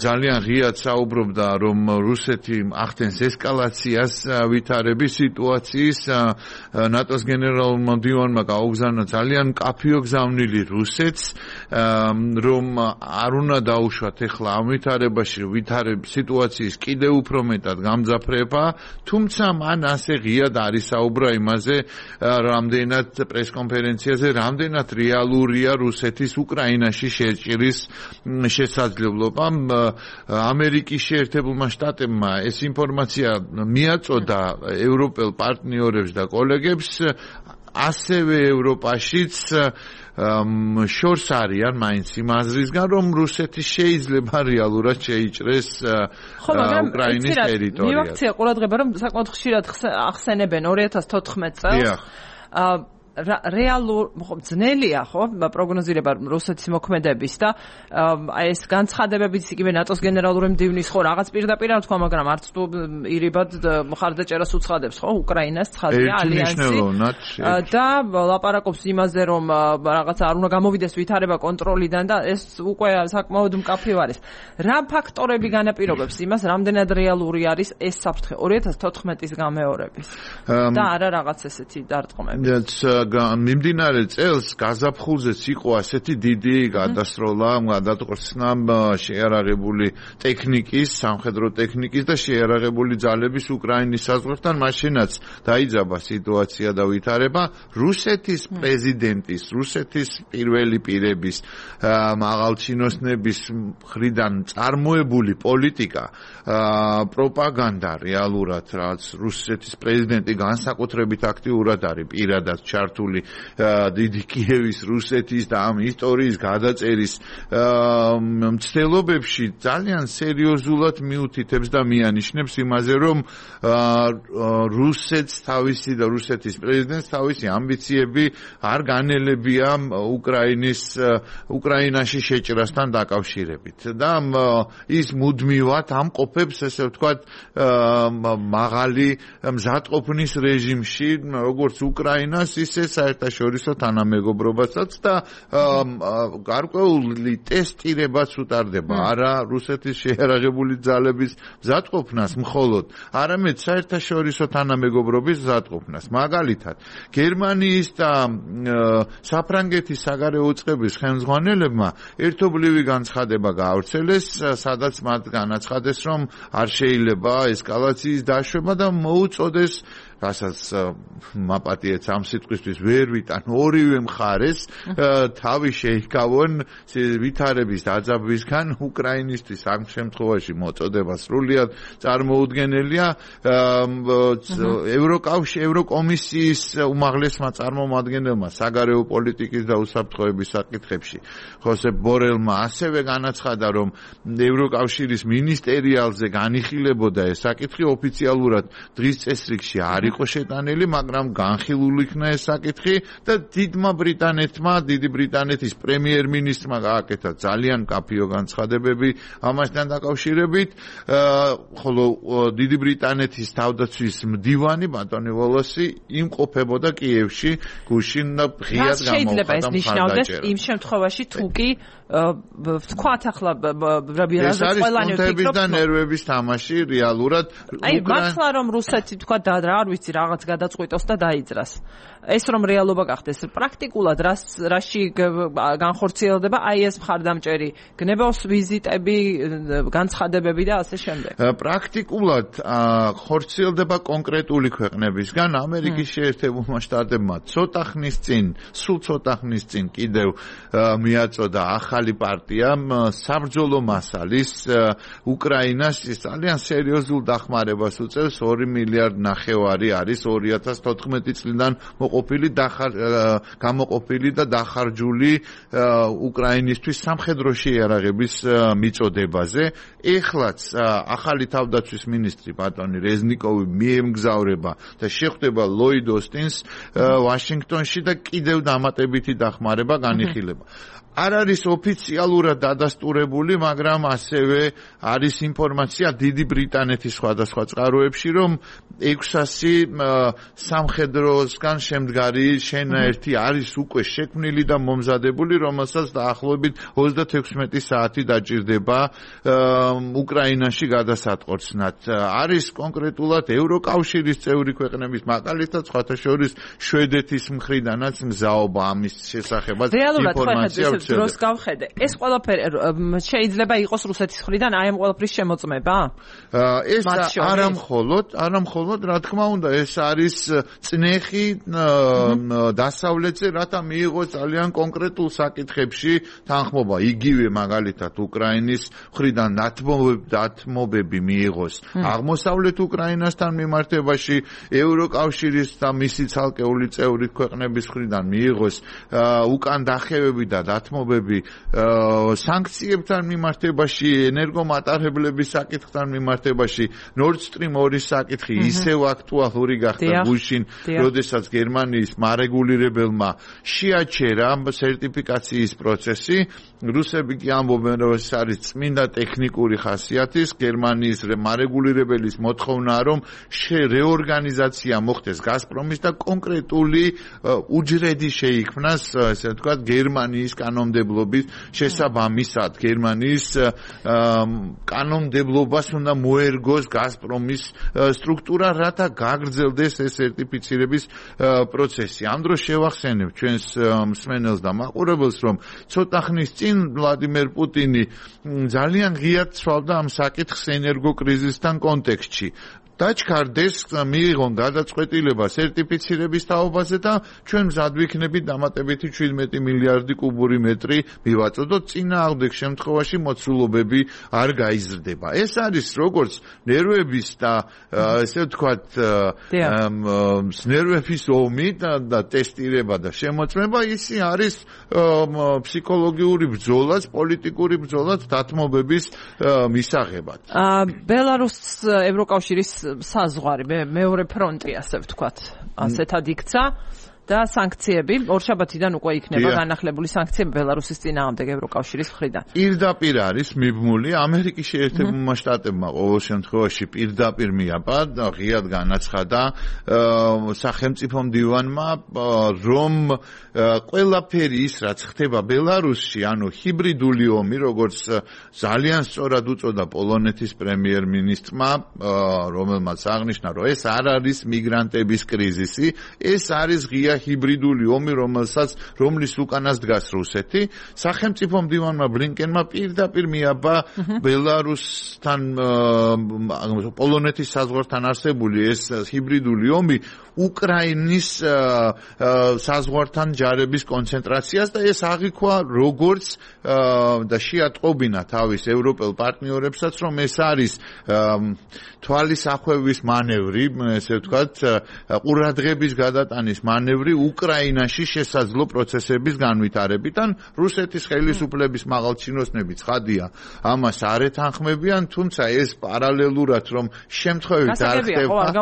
ძალიან ღიად საუბრობდა, რომ რუსეთი ახდენს ესკალაციას ვითარების სიტუაციის. ნატოს გენერალურმა მდივანმა გაუგზავნა ძალიან მკაფიო გზავნილი რუსეთს, რომ არ უნდა დაუშვათ ახლა ამ ვითარებაში სიტუაციის კიდევ უფრო მეტად გამძაფრება, თუმცა მან ასე ღიად არის საუბრა იმაზე, რამდენად პრესკონფერენციაზე, რამდენად რეალურია რუსეთის უკრაინაში შეჭრის შესაძლებლობა. ამერიკის შეერთებულმა შტატებმა ეს ინფორმაცია მიაწოდა ევროპელ პარტნიორებს და კოლეგებს, ასევე ევროპაშიც შორს არიან მაინც იმ აზრისგან, რომ რუსეთი შეიძლება რეალურად შეიჭრეს უკრაინის ტერიტორიაზე. მივაქცია ყურადღება, რომ საკმაოდ ხშირად ახსენებენ 2014 წელს. რეალურ ძნელია ხო პროგნოზირება რუსეთის მოქმედების და ეს განცხადებებიც იგივე ნატოს გენერალური მდივნის ხო რაღაც პირდაპირ არ თქვა, მაგრამ არც თუ ირიბად მხარდაჭერას უცხადებს ხო უკრაინას ცხადია ალიანსი და ლაპარაკობს იმაზე, რომ რაღაც არ უნდა გამოვიდეს ვითარება კონტროლიდან და ეს უკვე საკმაოდ მკაფიო არის. რა ფაქტორები განაპირობებს იმას, რამდენად რეალური არის ეს საფრთხე 2014-ის გამეორების და არა რაღაც ესეთი დარტყმები? მიმდინარე წელს გაზაფხულზეც იყო ასეთი დიდი გადასროლა, გადატყორცნა შეიარაღებული ტექნიკის, სამხედრო ტექნიკის და შეიარაღებული ძალების უკრაინის საზღვართან, მაშინაც დაიძაბა სიტუაცია და ვითარება. რუსეთის პრეზიდენტის, რუსეთის პირველი პირების, მაღალჩინოსნების მხრიდან წარმოებული პოლიტიკა, პროპაგანდა რეალურად, რაც რუსეთის პრეზიდენტი განსაკუთრებით აქტიურად არის პირადად ჩართული დიდი კიევის, რუსეთის და ამ ისტორიის გადაწერის მცდელობებში ძალიან სერიოზულად მიუთითებს და მიანიშნებს იმაზე, რომ რუსეთს თავისი და რუსეთის პრეზიდენტს თავისი ამბიციები არ განელებია უკრაინაში შეჭრასთან დაკავშირებით და ის მუდმივად ამყოფებს, ესე ვთქვათ, მაღალი მზადყოფნის რეჟიმში, როგორც უკრაინას, ისე საერთაშორისო თანამეგობრობასაც და გარკვეული ტესტირებაც უტარდება არა რუსეთის შეიარაღებული ძალების მზადყოფნას მხოლოდ, არამედ საერთაშორისო თანამეგობრობის მზადყოფნას. მაგალითად, გერმანიის და საფრანგეთის საგარეო უწყების ხელმძღვანელებმა ერთობლივი განცხადება გაავრცელეს, სადაც მათ განაცხადეს, რომ არ შეიძლება ესკალაციის დაშვება და მოუწოდეს, რასაც მაპატიეთ ამ სიტყვისთვის ვერ ვიტან, ორივე მხარეს თავი შეიკავონ ვითარების დაძაბვისგან. უკრაინისთვის ამ შემთხვევაში მოწოდება სრულიად წარმოუდგენელია. ევროკომისიის უმაღლესმა წარმომადგენელმა საგარეო პოლიტიკის და უსაფრთხოების საკითხებში ხოსეფ ბორელმა ასევე განაცხადა, რომ ევროკავშირის მინისტერიალზე განიხილებოდა ეს საკითხი ოფიციალურად დღის წესრიგში არ იყო შეტანილი, მაგრამ განხილული იქნა ეს საკითხი და დიდი ბრიტანეთის პრემიერ-მინისტრმა გააკეთა ძალიან კაფიო განცხადებები ამასთან დაკავშირებით, ხოლო დიდი ბრიტანეთის თავდაცვის მდივანი ბატონი ვოლოსი იმყოფებოდა კიევში, გუშინ და ღიად გამოხატა. შეიძლება ეს ნიშნავდეს იმ შემთხვევაში თუ კი ვთქვათ ახლა რაზეც ყველანი ვფიქრობთ და ნერვების თამაში რეალურად მართლა რომ რუსეთი თქვა და რა არ ვიცი რაღაც გადაწყვიტოს და დაიძრას ეს რომ რეალობა გახდეს პრაქტიკულად რაში განხორციელდება აი ეს მხარდამჭერი გნებავს ვიზიტები განცხადებები და ასე შემდეგ პრაქტიკულად ხორციელდება კონკრეტული ქვეყნებისგან ამერიკის შეერთებულმა შტატებმა სულ ცოტა ხნის წინ კიდევ მიაწოდა ახალი პარტიამ საბრძოლო მასალის უკრაინას ძალიან სერიოზულ დახმარებას უწევს 2 მილიარდ ნახევარი არის 2014 წლიდან გამოყოფილი და დახარჯული უკრაინისთვის სამხედრო შეიარაღების მიწოდებაზე ეხლაც ახალი თავდაცვის მინისტრი ბატონი რეზნიკოვი მიემგზავრება და შეხვდება ლოიდ ოსტინს ვაშინგტონში და კიდევ დამატებითი დახმარება განიხილება არ არის ოფიციალურად დადასტურებული, მაგრამ ასევე არის ინფორმაცია დიდი ბრიტანეთის სხვადასხვა წყაროებში, რომ 600 სამხედროსგან შემდგარი შენაერთი არის უკვე შექმნილი და მომზადებული, რომელსაც დაახლოებით 36 საათი დაჭირდება უკრაინაში გადასატყორცნად. არის კონკრეტულად ევროკავშირის წევრი ქვეყნების, მაგალითად, სხვათა შორის შვედეთის მხრიდანაც მგზაობა ამის შესახებაც ინფორმაცია დროს გავხედე. ეს ყველაფერი შეიძლება იყოს რუსეთის მხრიდან აი ამ ყველაფრის შემოწმება? ეს არამხოლოდ, რა თქმა უნდა, ეს არის წნეხი დასავლეთზე, რათა მიიღოს ძალიან კონკრეტულ საკითხებში თანხმობა. იგივე მაგალითად უკრაინის მხრიდან დათმობები მიიღოს აღმოსავლეთ უკრაინასთან მიმართებაში, ევროკავშირის და მისი ცალკეული წევრი ქვეყნების მხრიდან მიიღოს უკან დახევები და სანქციებთან მიმართებაში, ენერგომატარებლების საკითხთან მიმართებაში, Nord Stream 2 საკითხი ისევ აქტუალური გახდა გუშინ, როდესაც გერმანიის მარეგულირებელმა შეაჩერა სერტიფიკაციის პროცესი. რუსები კი ამბობენ, რომ ეს არის წმინდა ტექნიკური ხასიათის, გერმანიის მარეგულირებელის მოთხოვნაა, რომ რეორგანიზაცია მოხდეს გაზპრომის და კონკრეტული უჯრედი შეიქმნას, ესე ვთქვათ, გერმანიის კანონმდებლობის შესაბამისად გერმანიის კანონმდებლობას უნდა მოერგოს გაზპრომის სტრუქტურა, რათა გაგრძელდეს ეს სერტიფიცირების პროცესი. ამ დროს შევახსენებ ჩვენს მსმენელს და მაყურებელს, რომ ცოტა ხნის წინ ვლადიმერ პუტინი ძალიან ღიად ცვალდა ამ საკითხს ენერგოკრიზისთან კონტექსტში. დაჩქარდეს მიიღონ გადაწყვეტილება სერტიფიცირების თაობაზე და ჩვენ მზად ვიქნებით დამატებითი 17 მილიარდი კუბური მეტრი მივაწოდოთ, წინააღმდეგ შემთხვევაში მოცულობები არ გაიზრდება. ეს არის როგორც ნერვების და ესე ვთქვათ ნერვების ომი და ტესტირება და შემოწმება, ისი არის ფსიქოლოგიური ბრძოლაც, პოლიტიკური ბრძოლაც დათმობების მისაღებად. ბელარუსს ევროკავშირის საზღვარი მეორე ფრონტი ასე ვთქვათ ასეთად იქცა და სანქციები ორშაბათიდან უკვე იქნება განახლებული სანქციები ბელარუსის წინააღმდეგ ევროკავშირის მხრიდან. პირდაპირ არის მიბმული ამერიკის შეერთებულმა შტატებმა ყოველ შემთხვევაში პირდაპირ მიაბა და ღიად განაცხადა სახელმწიფო მდივანმა, რომ ყველაფერი ის რაც ხდება ბელარუსში, ანუ ჰიბრიდული ომი, როგორც ძალიან სწორად უწოდა პოლონეთის პრემიერ-მინისტრმა, რომელმაც აღნიშნა, რომ ეს არ არის მიგრანტების კრიზისი, ეს არის ღია ჰიბრიდული ომი, რომლის უკანას დგას რუსეთი. სახელმწიფო მდივანმა ბლინკენმა პირდაპირ მიაბა ბელარუსთან, პოლონეთის საზღვართან არსებული ეს ჰიბრიდული ომი უკრაინის საზღვართან ჯარების კონცენტრაციას და ეს აღიქვა როგორც და შეატყობინა თავის ევროპელ პარტნიორებსაც, რომ ეს არის თვალის ახვევის მანევრი, ესე ვთქვათ, ყურადღების გადატანის მანევრი ბევრი უკრაინაში შესაძლო პროცესების განვითარებით ან რუსეთის ხელისუფლების მაღალჩინოსნები ცხადია ამას არ ეთანხმებიან, თუმცა ეს პარალელურად რომ შემთხვევით არ ხდება,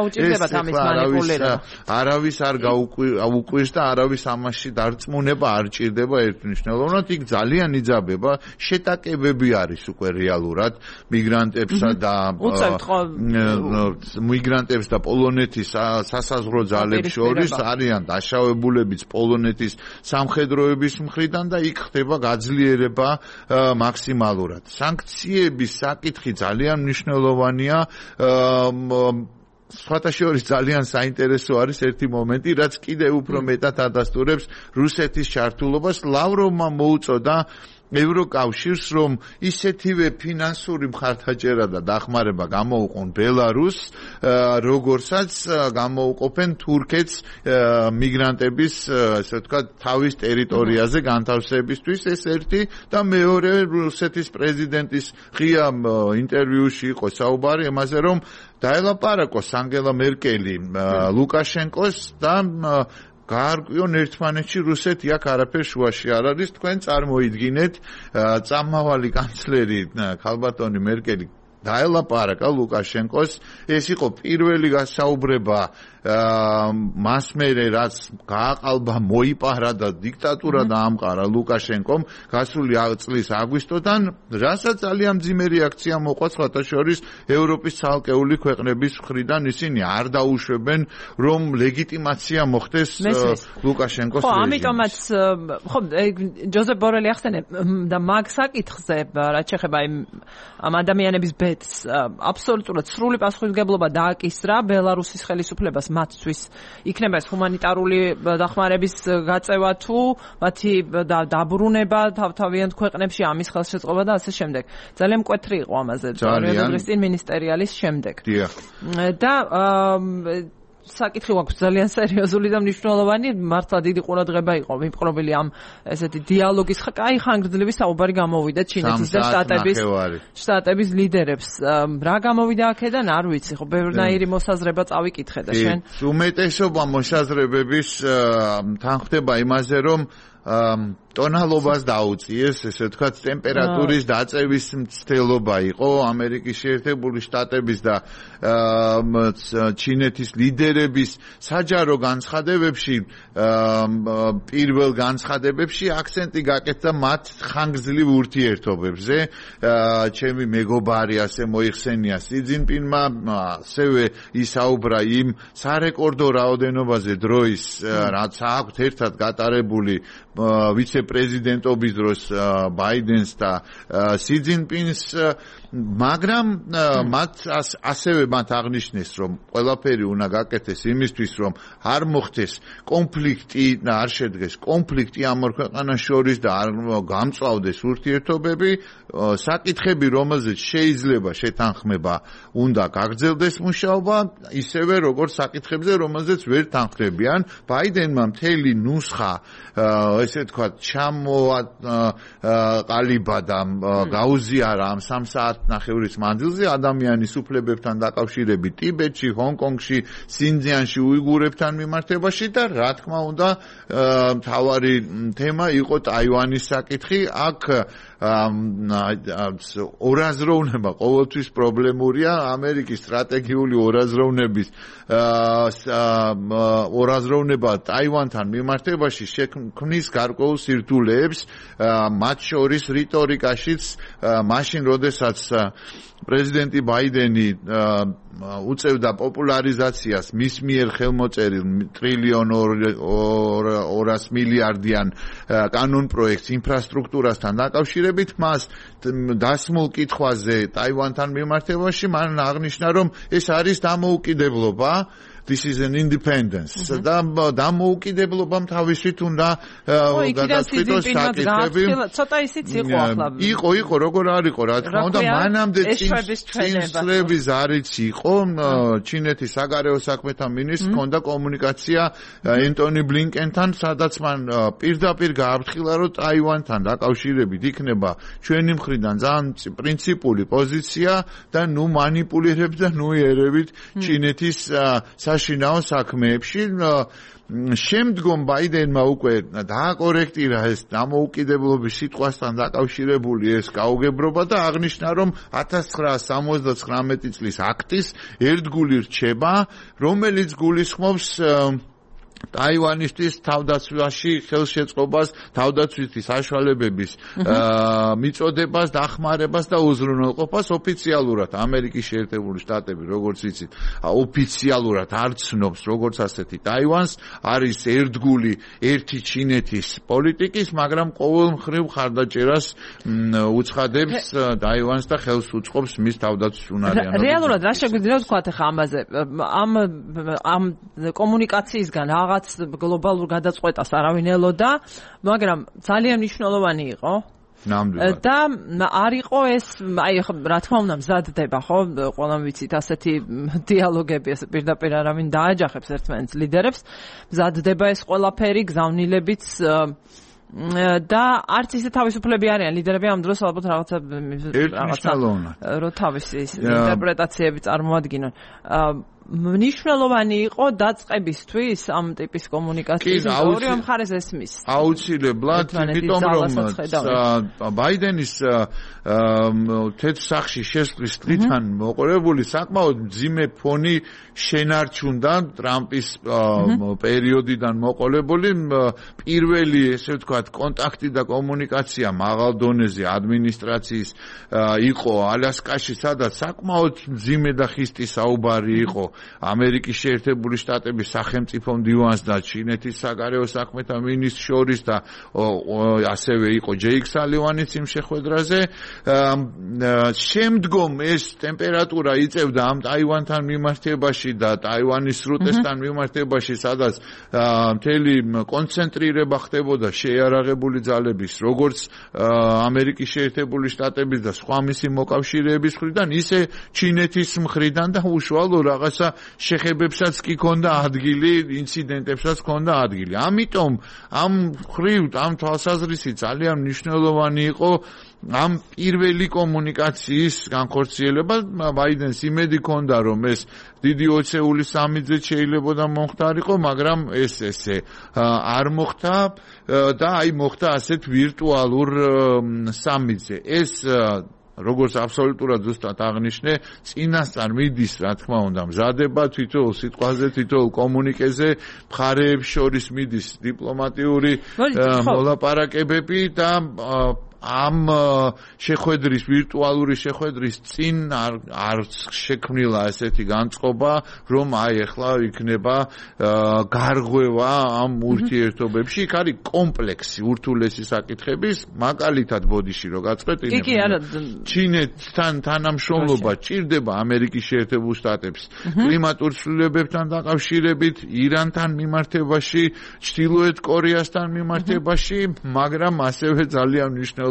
არავის არ გაუკვირს და არავის ამაში დარწმუნება არ ჭირდება ერთმნიშვნელოვნად, იქ ძალიან იძაბება, შეტაკებები არის უკვე რეალურად მიგრანტებსა და მიგრანტებს და პოლონეთის სასაზღვრო ძალებს შორის არიან დაშავებულებიც პოლონეთის სამხედროების მხრიდან და იქ ხდება გაძლიერება მაქსიმალურად. სანქციების საკითხი ძალიან მნიშვნელოვანია. სხვათა შორის ძალიან საინტერესო არის ერთი მომენტი, რაც კიდევ უფრო მეტად ადასტურებს რუსეთის ჩართულობას. ლავროვმა მოუწოდა ევროკავშირს, რომ ისეთივე ფინანსური მხარდაჭერა და დახმარება გამოუყონ ბელარუსს, როგორცაც გამოუყოფენ თურქეთს მიგრანტების, ასე ვთქვათ, თავის ტერიტორიაზე განთავსებისთვის. ეს ერთი და მეორე, რუსეთის პრეზიდენტის ღია ინტერვიუში იყო საუბარი იმაზე, რომ დაელაპარაკოს ანგელა მერკელი ლუკაშენკოს და გაარკვიონ ერთმანეთში რუსეთი აქ არაფერ შუაში არ არის. თქვენ წარმოიდგინეთ, წამავალი კანცლერი ქალბატონი მერკელი დაელაპარაკა ლუკაშენკოს, ეს იყო პირველი გასაუბრება მას მერე რაც გააყალბა, მოიპარა და დიქტატურა დაამყარა ლუკაშენკომ გასული წლის აგვისტოდან, რასაც ძალიან მძიმე რეაქცია მოყვა სხვათა შორის ევროპის ცალკეული ქვეყნების მხრიდან. ისინი არ დაუშვებენ, რომ ლეგიტიმაცია მოხდეს ლუკაშენკოს რეჟიმის. ამიტომაც ხო ჯოზეფ ბორელი ახსენე და მაგ საკითხზე რაც შეეხება ამ ადამიანების ბედს აბსოლუტურად სრული პასუხისმგებლობა დააკისრა ბელარუსის ხელისუფლებას მათთვის. იქნება ეს ჰუმანიტარული დახმარების გაწევა თუ მათი დაბრუნება თავთავიანთ ქვეყნებში, ამის ხელშეწყობა და ასე შემდეგ. ძალიან მკვეთრი იყო ამაზე დღეს წინ მინისტერიალის შემდეგ. და საკითხი აქვს ძალიან სერიოზული და მნიშვნელოვანი, მართლა დიდი ყურადღება იყო მიპყრობილი ამ ესეთი დიალოგის ხანგრძლივი საუბარი გამოვიდა ჩინეთის და შტატების ლიდერებს. რა გამოვიდა აქედან არ ვიცი, ხო ბევრნაირი მოსაზრება წავიკითხე და შენ. უმეტესობა მოსაზრებების თანხმდება იმაზე, რომ ტონალობას დაუწიეს, ესე ვთქვათ, ტემპერატურის დაწევის მცდელობა იყო ამერიკის შეერთებული შტატების და ჩინეთის ლიდერების საჯარო განცხადებებში, პირველ განცხადებებში აქცენტი გაკეთდა მათ ხანგრძლივ ურთიერთობებზე. ჩემი მეგობარი ასე მოიხსენია სი ძინპინმა, ასევე ისაუბრა იმ სარეკორდო რაოდენობაზე დროის, რაც აქვთ ერთად გატარებული ვიცე-პრეზიდენტობის დროს ბაიდენს და სი ძინპინს, მაგრამ ასევე მათ აღნიშნეს, რომ ყველაფერი უნდა გაკეთდეს იმისთვის, რომ არ მოხდეს კონფლიქტი და არ შედგეს კონფლიქტი ამ ორ ქვეყანას შორის და არ გამწვავდეს ურთიერთობები. საკითხები, რომელზეც შეიძლება შეთანხმება, უნდა გაგრძელდეს მუშაობა, ისევე როგორც საკითხებზე, რომელზეც ვერ თანხმდებიან. ბაიდენმა მთელი ნუსხა, ესე ვთქვათ, ჩამოაყალიბა და გაუზიარა ამ 3 საათნახევრის მანძილზე ადამიანის უფლებებთან დაკავშირებით ტიბეტში, ჰონკონგში, სინძიანში, უიგურებთან მიმართებაში და რა თქმა უნდა მთავარი თემა იყო ტაივანის საკითხი. აქ ორაზროვნება ყოველთვის პრობლემურია. ამერიკის სტრატეგიული ორაზროვნება ტაივანთან მიმართებაში შექმნის გარკვეულ სირთულეებს, მათ შორის რიტორიკაშიც, მაშინ როდესაც პრეზიდენტი ბაიდენი უწევდა პოპულარიზაციას მის მიერ ხელმოწერილ $1.2 ტრილიონ კანონპროექტს ინფრასტრუქტურასთან დაკავშირებით, მას დასმულ კითხვაზე ტაივანთან მიმართებაში მან აღნიშნა, რომ ეს არის დამოუკიდებლობა. This is an independence. და დამოუკიდებლობამ თავისით უნდა გადაწყვიტოს საკითხები. ცოტა ისიც იყო ახლა. იყო, როგორ არ იყო, რა თქმა უნდა, მანამდე წინსვლების არიც იყო. ჩინეთის საგარეო საქმეთა მინისტრს ჰქონდა კომუნიკაცია ენტონი ბლინკენთან, სადაც მან პირდაპირ გააფრთხილა, რომ ტაივანთან დაკავშირებით იქნება ჩვენი მხრიდან ძალიან პრინციპული პოზიცია და ნუ მანიპულირებს და ნუ იერებით ჩინეთის საშინაო საქმეებში შემდგომ ბაიდენმა უკვე დააკორექტირა ეს დამოუკიდებლობის სიტყვასთან დაკავშირებული ეს გაუგებრობა და აღნიშნა, რომ 1979 წლის აქტის ერთგული რჩება, რომელიც გულისხმობს ტაივანისთვის თავდაცვაში ხელშეწყობას, თავდაცვითი საშუალებების მიწოდებას, დახმარებას და უზრუნველყოფას ოფიციალურად ამერიკის შეერთებული შტატები, როგორც იცით, ოფიციალურად არ ცნობს როგორც ასეთი ტაივანს, არის ერთგული ერთი ჩინეთის პოლიტიკის, მაგრამ ყოველ მხრივ ხარდაჭერას უცხადებს ტაივანს და ხელს უწყობს მის თავდაცვის უნარიანობას. რეალურად რა შეგვიძლია ვთქვათ ახლა ამაზე? ამ კომუნიკაციისგან რაღაც გლობალურ გადაწყვეტას არავინ ელოდა, მაგრამ ძალიან მნიშვნელოვანი იყო. ნამდვილად. და არ იყო ეს, აი რა თქმა უნდა მზადდება, ხო? ყველამ ვიცით ასეთი დიალოგები, ეს პირდაპირ არავინ დააჯახებს ერთმანეთს ლიდერებს. მზადდება ეს ყველაფერი გზავნილებიც და არც ისე თავისუფლები არიან ლიდერები ამ დროს ალბათ რაღაცა რო თავისი ინტერპრეტაციები წარმოადგინონ. მნიშვნელოვანი იყო დაწყებისთვის ამ ტიპის კომუნიკაციის ორივე მხარეს ესმის. აუცილებლად, იმიტომ რომ ბაიდენის თეთრ სახლში შესვლის დღიდან მოყოლებული საკმაოდ მძიმე ფონი შენარჩუნდა ტრამპის პერიოდიდან მოყოლებული პირველი, ესე ვთქვათ, კონტაქტი და კომუნიკაცია მაღალ დონეზე ადმინისტრაციის იყო ალასკაში, სადაც საკმაოდ მძიმე და ხისტი საუბარი იყო ამერიკის შეერთებული შტატების სახელმწიფო მდივანს და ჩინეთის საგარეო საქმეთა მინისტრს შორის და ასევე იყო ჯეიკ სალივანიც იმ შეხვედრაზე. შემდგომ ეს ტემპერატურა იწევდა ამ ტაივანთან მიმართებაში და ტაივანის სრუტესთან მიმართებაში, სადაც მთელი კონცენტრირება ხდებოდა შეიარაღებული ძალების, როგორც ამერიკის შეერთებული შტატების და სხვა მისი მოკავშირეების მხრიდან, ისე ჩინეთის მხრიდან და უშუალო რაღაცა შეხებებსაც კი ქონდა ადგილი, ინციდენტებსაც ქონდა ადგილი. ამიტომ ამ ხრივ, ამ თვალსაზრისით ძალიან მნიშვნელოვანი იყო ამ პირველი კომუნიკაციის განხორციელება. ბაიდენს იმედი ქონდა, რომ ეს დიდი ოცეული სამიძეთ შეიძლება მომხდარიყო, მაგრამ ეს ესე არ მოხდა და აი მოხდა ასეთ ვირტუალურ სამიძე. ეს როგორც აბსოლუტურად ზუსტად აღნიშნე, წინასწარ მიდის, რა თქმა უნდა, მზადება თითოეულ სიტყვაზე, თითოეულ კომუნიკეზე, მხარეებს შორის მიდის დიპლომატიური მოლაპარაკებები და ამ შეხვედრის, ვირტუალური შეხვედრის წინ არ შექმნილა ესეთი განწყობა, რომ აი ახლა იქნება გარღვევა ამ ურთიერთობებში. იქ არის კომპლექსი ურთულესი საკითხების, მაგალითად ბოდიში რო გაწყვეტ, ჩინეთთან თანამშრომლობა ჭირდება ამერიკის შეერთებულ შტატებს კლიმატურ ცვლილებებთან დაკავშირებით, ირანთან მიმართებაში, ჩრდილოეთ კორეასთან მიმართებაში, მაგრამ ასევე ძალიან მნიშვნელოვანია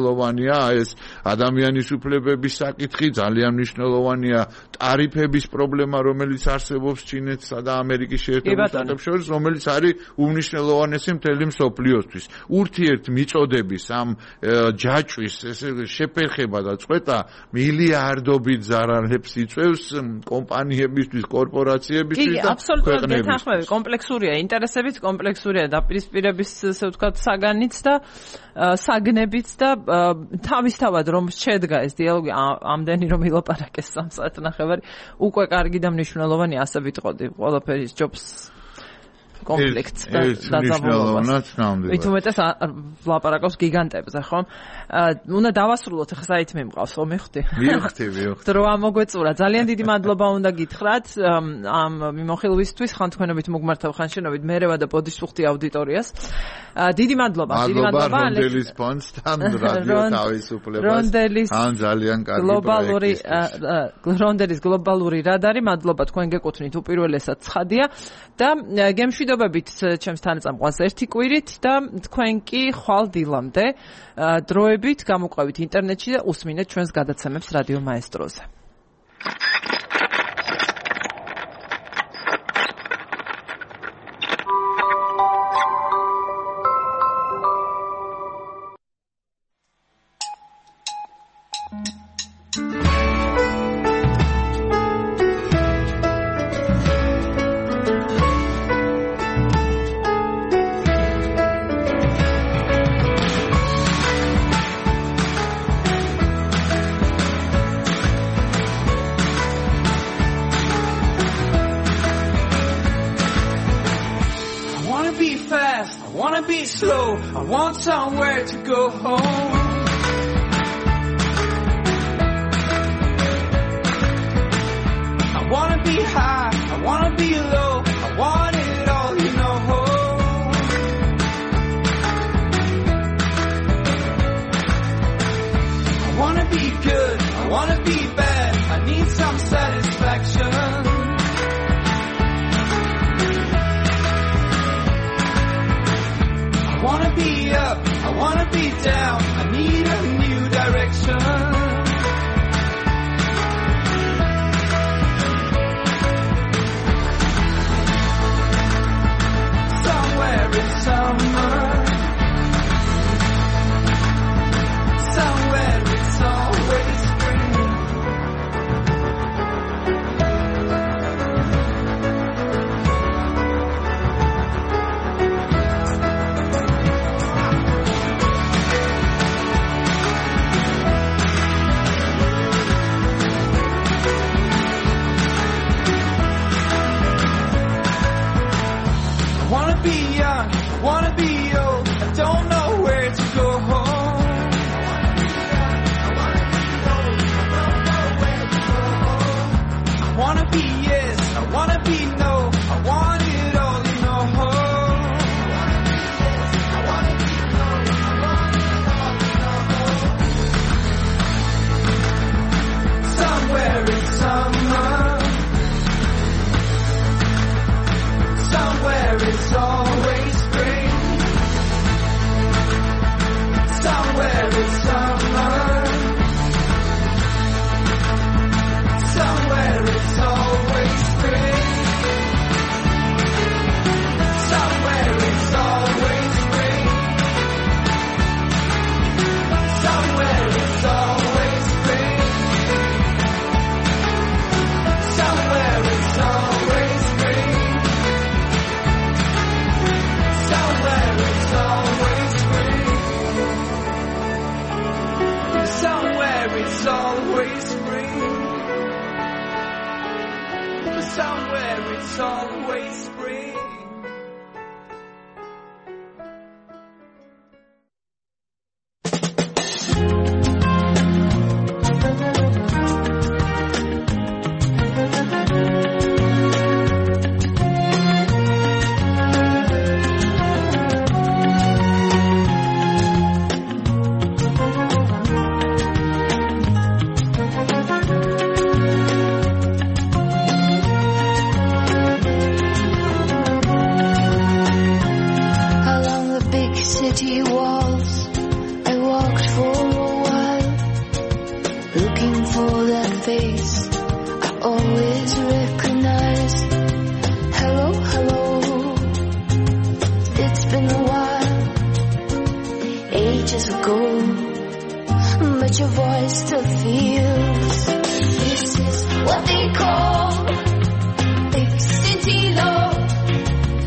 ეს ადამიანის უფლებების საკითხი, ძალიან მნიშვნელოვანია ტარიფების პრობლემა, რომელიც არსებობს ჩინეთსა და ამერიკის შეერთებულ შტატებს შორის, რომელიც არის უმნიშვნელოვანესი მთელი მსოფლიოსთვის. ურთიერთმიწოდების ამ ჯაჭვის შეფერხება და წყვეტა მილიარდობით ზარალებს იწვევს კომპანიებისთვის, კორპორაციებისთვის და აბსოლუტურად გეთანხმები, კომპლექსურია ინტერესებიც, კომპლექსურია დაპირისპირების, ასე ვთქვათ, საგანიც და საგნებიც და თავისთავად რომ შედგა ეს დიალოგი ამდენი რომ ილაპარაკეს 3 საათნახევარი, უკვე კარგი და მნიშვნელოვანი, ასე ვიტყოდი, ყველაფერი ჯობს კონფლიქტს და მნიშვნელოვნად ნამდვილად. ვით უმეტეს ვლაპარაკობს გიგანტებზე, ხო? უნდა დავასრულოთ, ახლა საითმე მყავს, ხო მიხდი? მივხვდი. დრო ამოგვეწურა. ძალიან დიდი მადლობა უნდა გითხრათ ამ მიმოხილვისთვის, ხანთქვენობით მოგმართავ ხანშენობით მერევა და ბოდიშუხტი აუდიტორიას. დიდი მადლობა, დიდი მადლობა რონდელის ფონდთან, რადიო თავისუფლებას. ან ძალიან კარგი რონდელის გლობალური რადარი, მადლობა თქვენ გეკუთვნით უპირველესად ცხადია და გემშვიდობებით ჩემს თანაწამყვანს ერთი კვირით და თქვენ კი ხვალ დილამდე დროებით გამოყვებით ინტერნეტში და უსმინეთ ჩვენს გადაცემებს რადიო მაესტროზე. slow. I want somewhere to go home. I wanna be high, I wanna be low, I want it all, you know. I wanna be good, I wanna be bad, I need some satisfaction. I wanna be up, I wanna be down, I need a new direction. Somewhere in summer, somewhere it's always spring. I wanna be young, I wanna be old, I don't know where to go home. I wanna be yes, I wanna be no, I want it all, you know. Somewhere in summer, somewhere it's always spring. Somewhere it's summer, somewhere it's always spring. Somewhere it's always spring. Somewhere it's always spring. Somewhere it's always spring. Somewhere it's always spring. Somewhere it's always spring. Somewhere it's always spring. City walls, I walked for a while, looking for that face I always recognize. Hello, hello, it's been a while, ages ago, but your voice still feels. This is what they call big city love.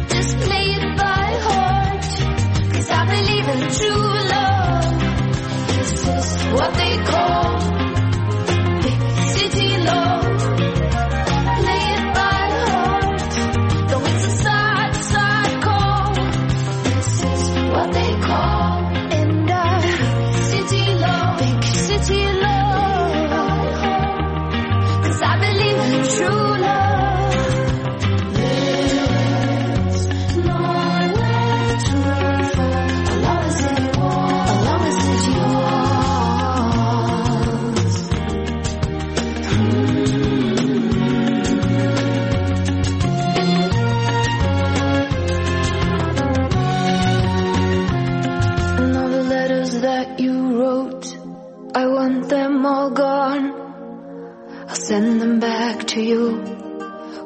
Just play it by heart, 'cause I believe in true love. This is what they call big city love. Play it by heart, though it's a sad, sad call. This is what they call and city love, big city love. 'Cause I believe in true love. I want them all gone. I'll send them back to you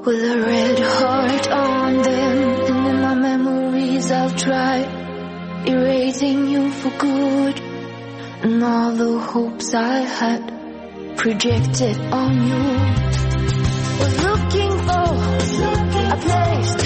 with a red heart on them. And in my memories I'll try erasing you for good, and all the hopes I had projected on you. Was looking for a place to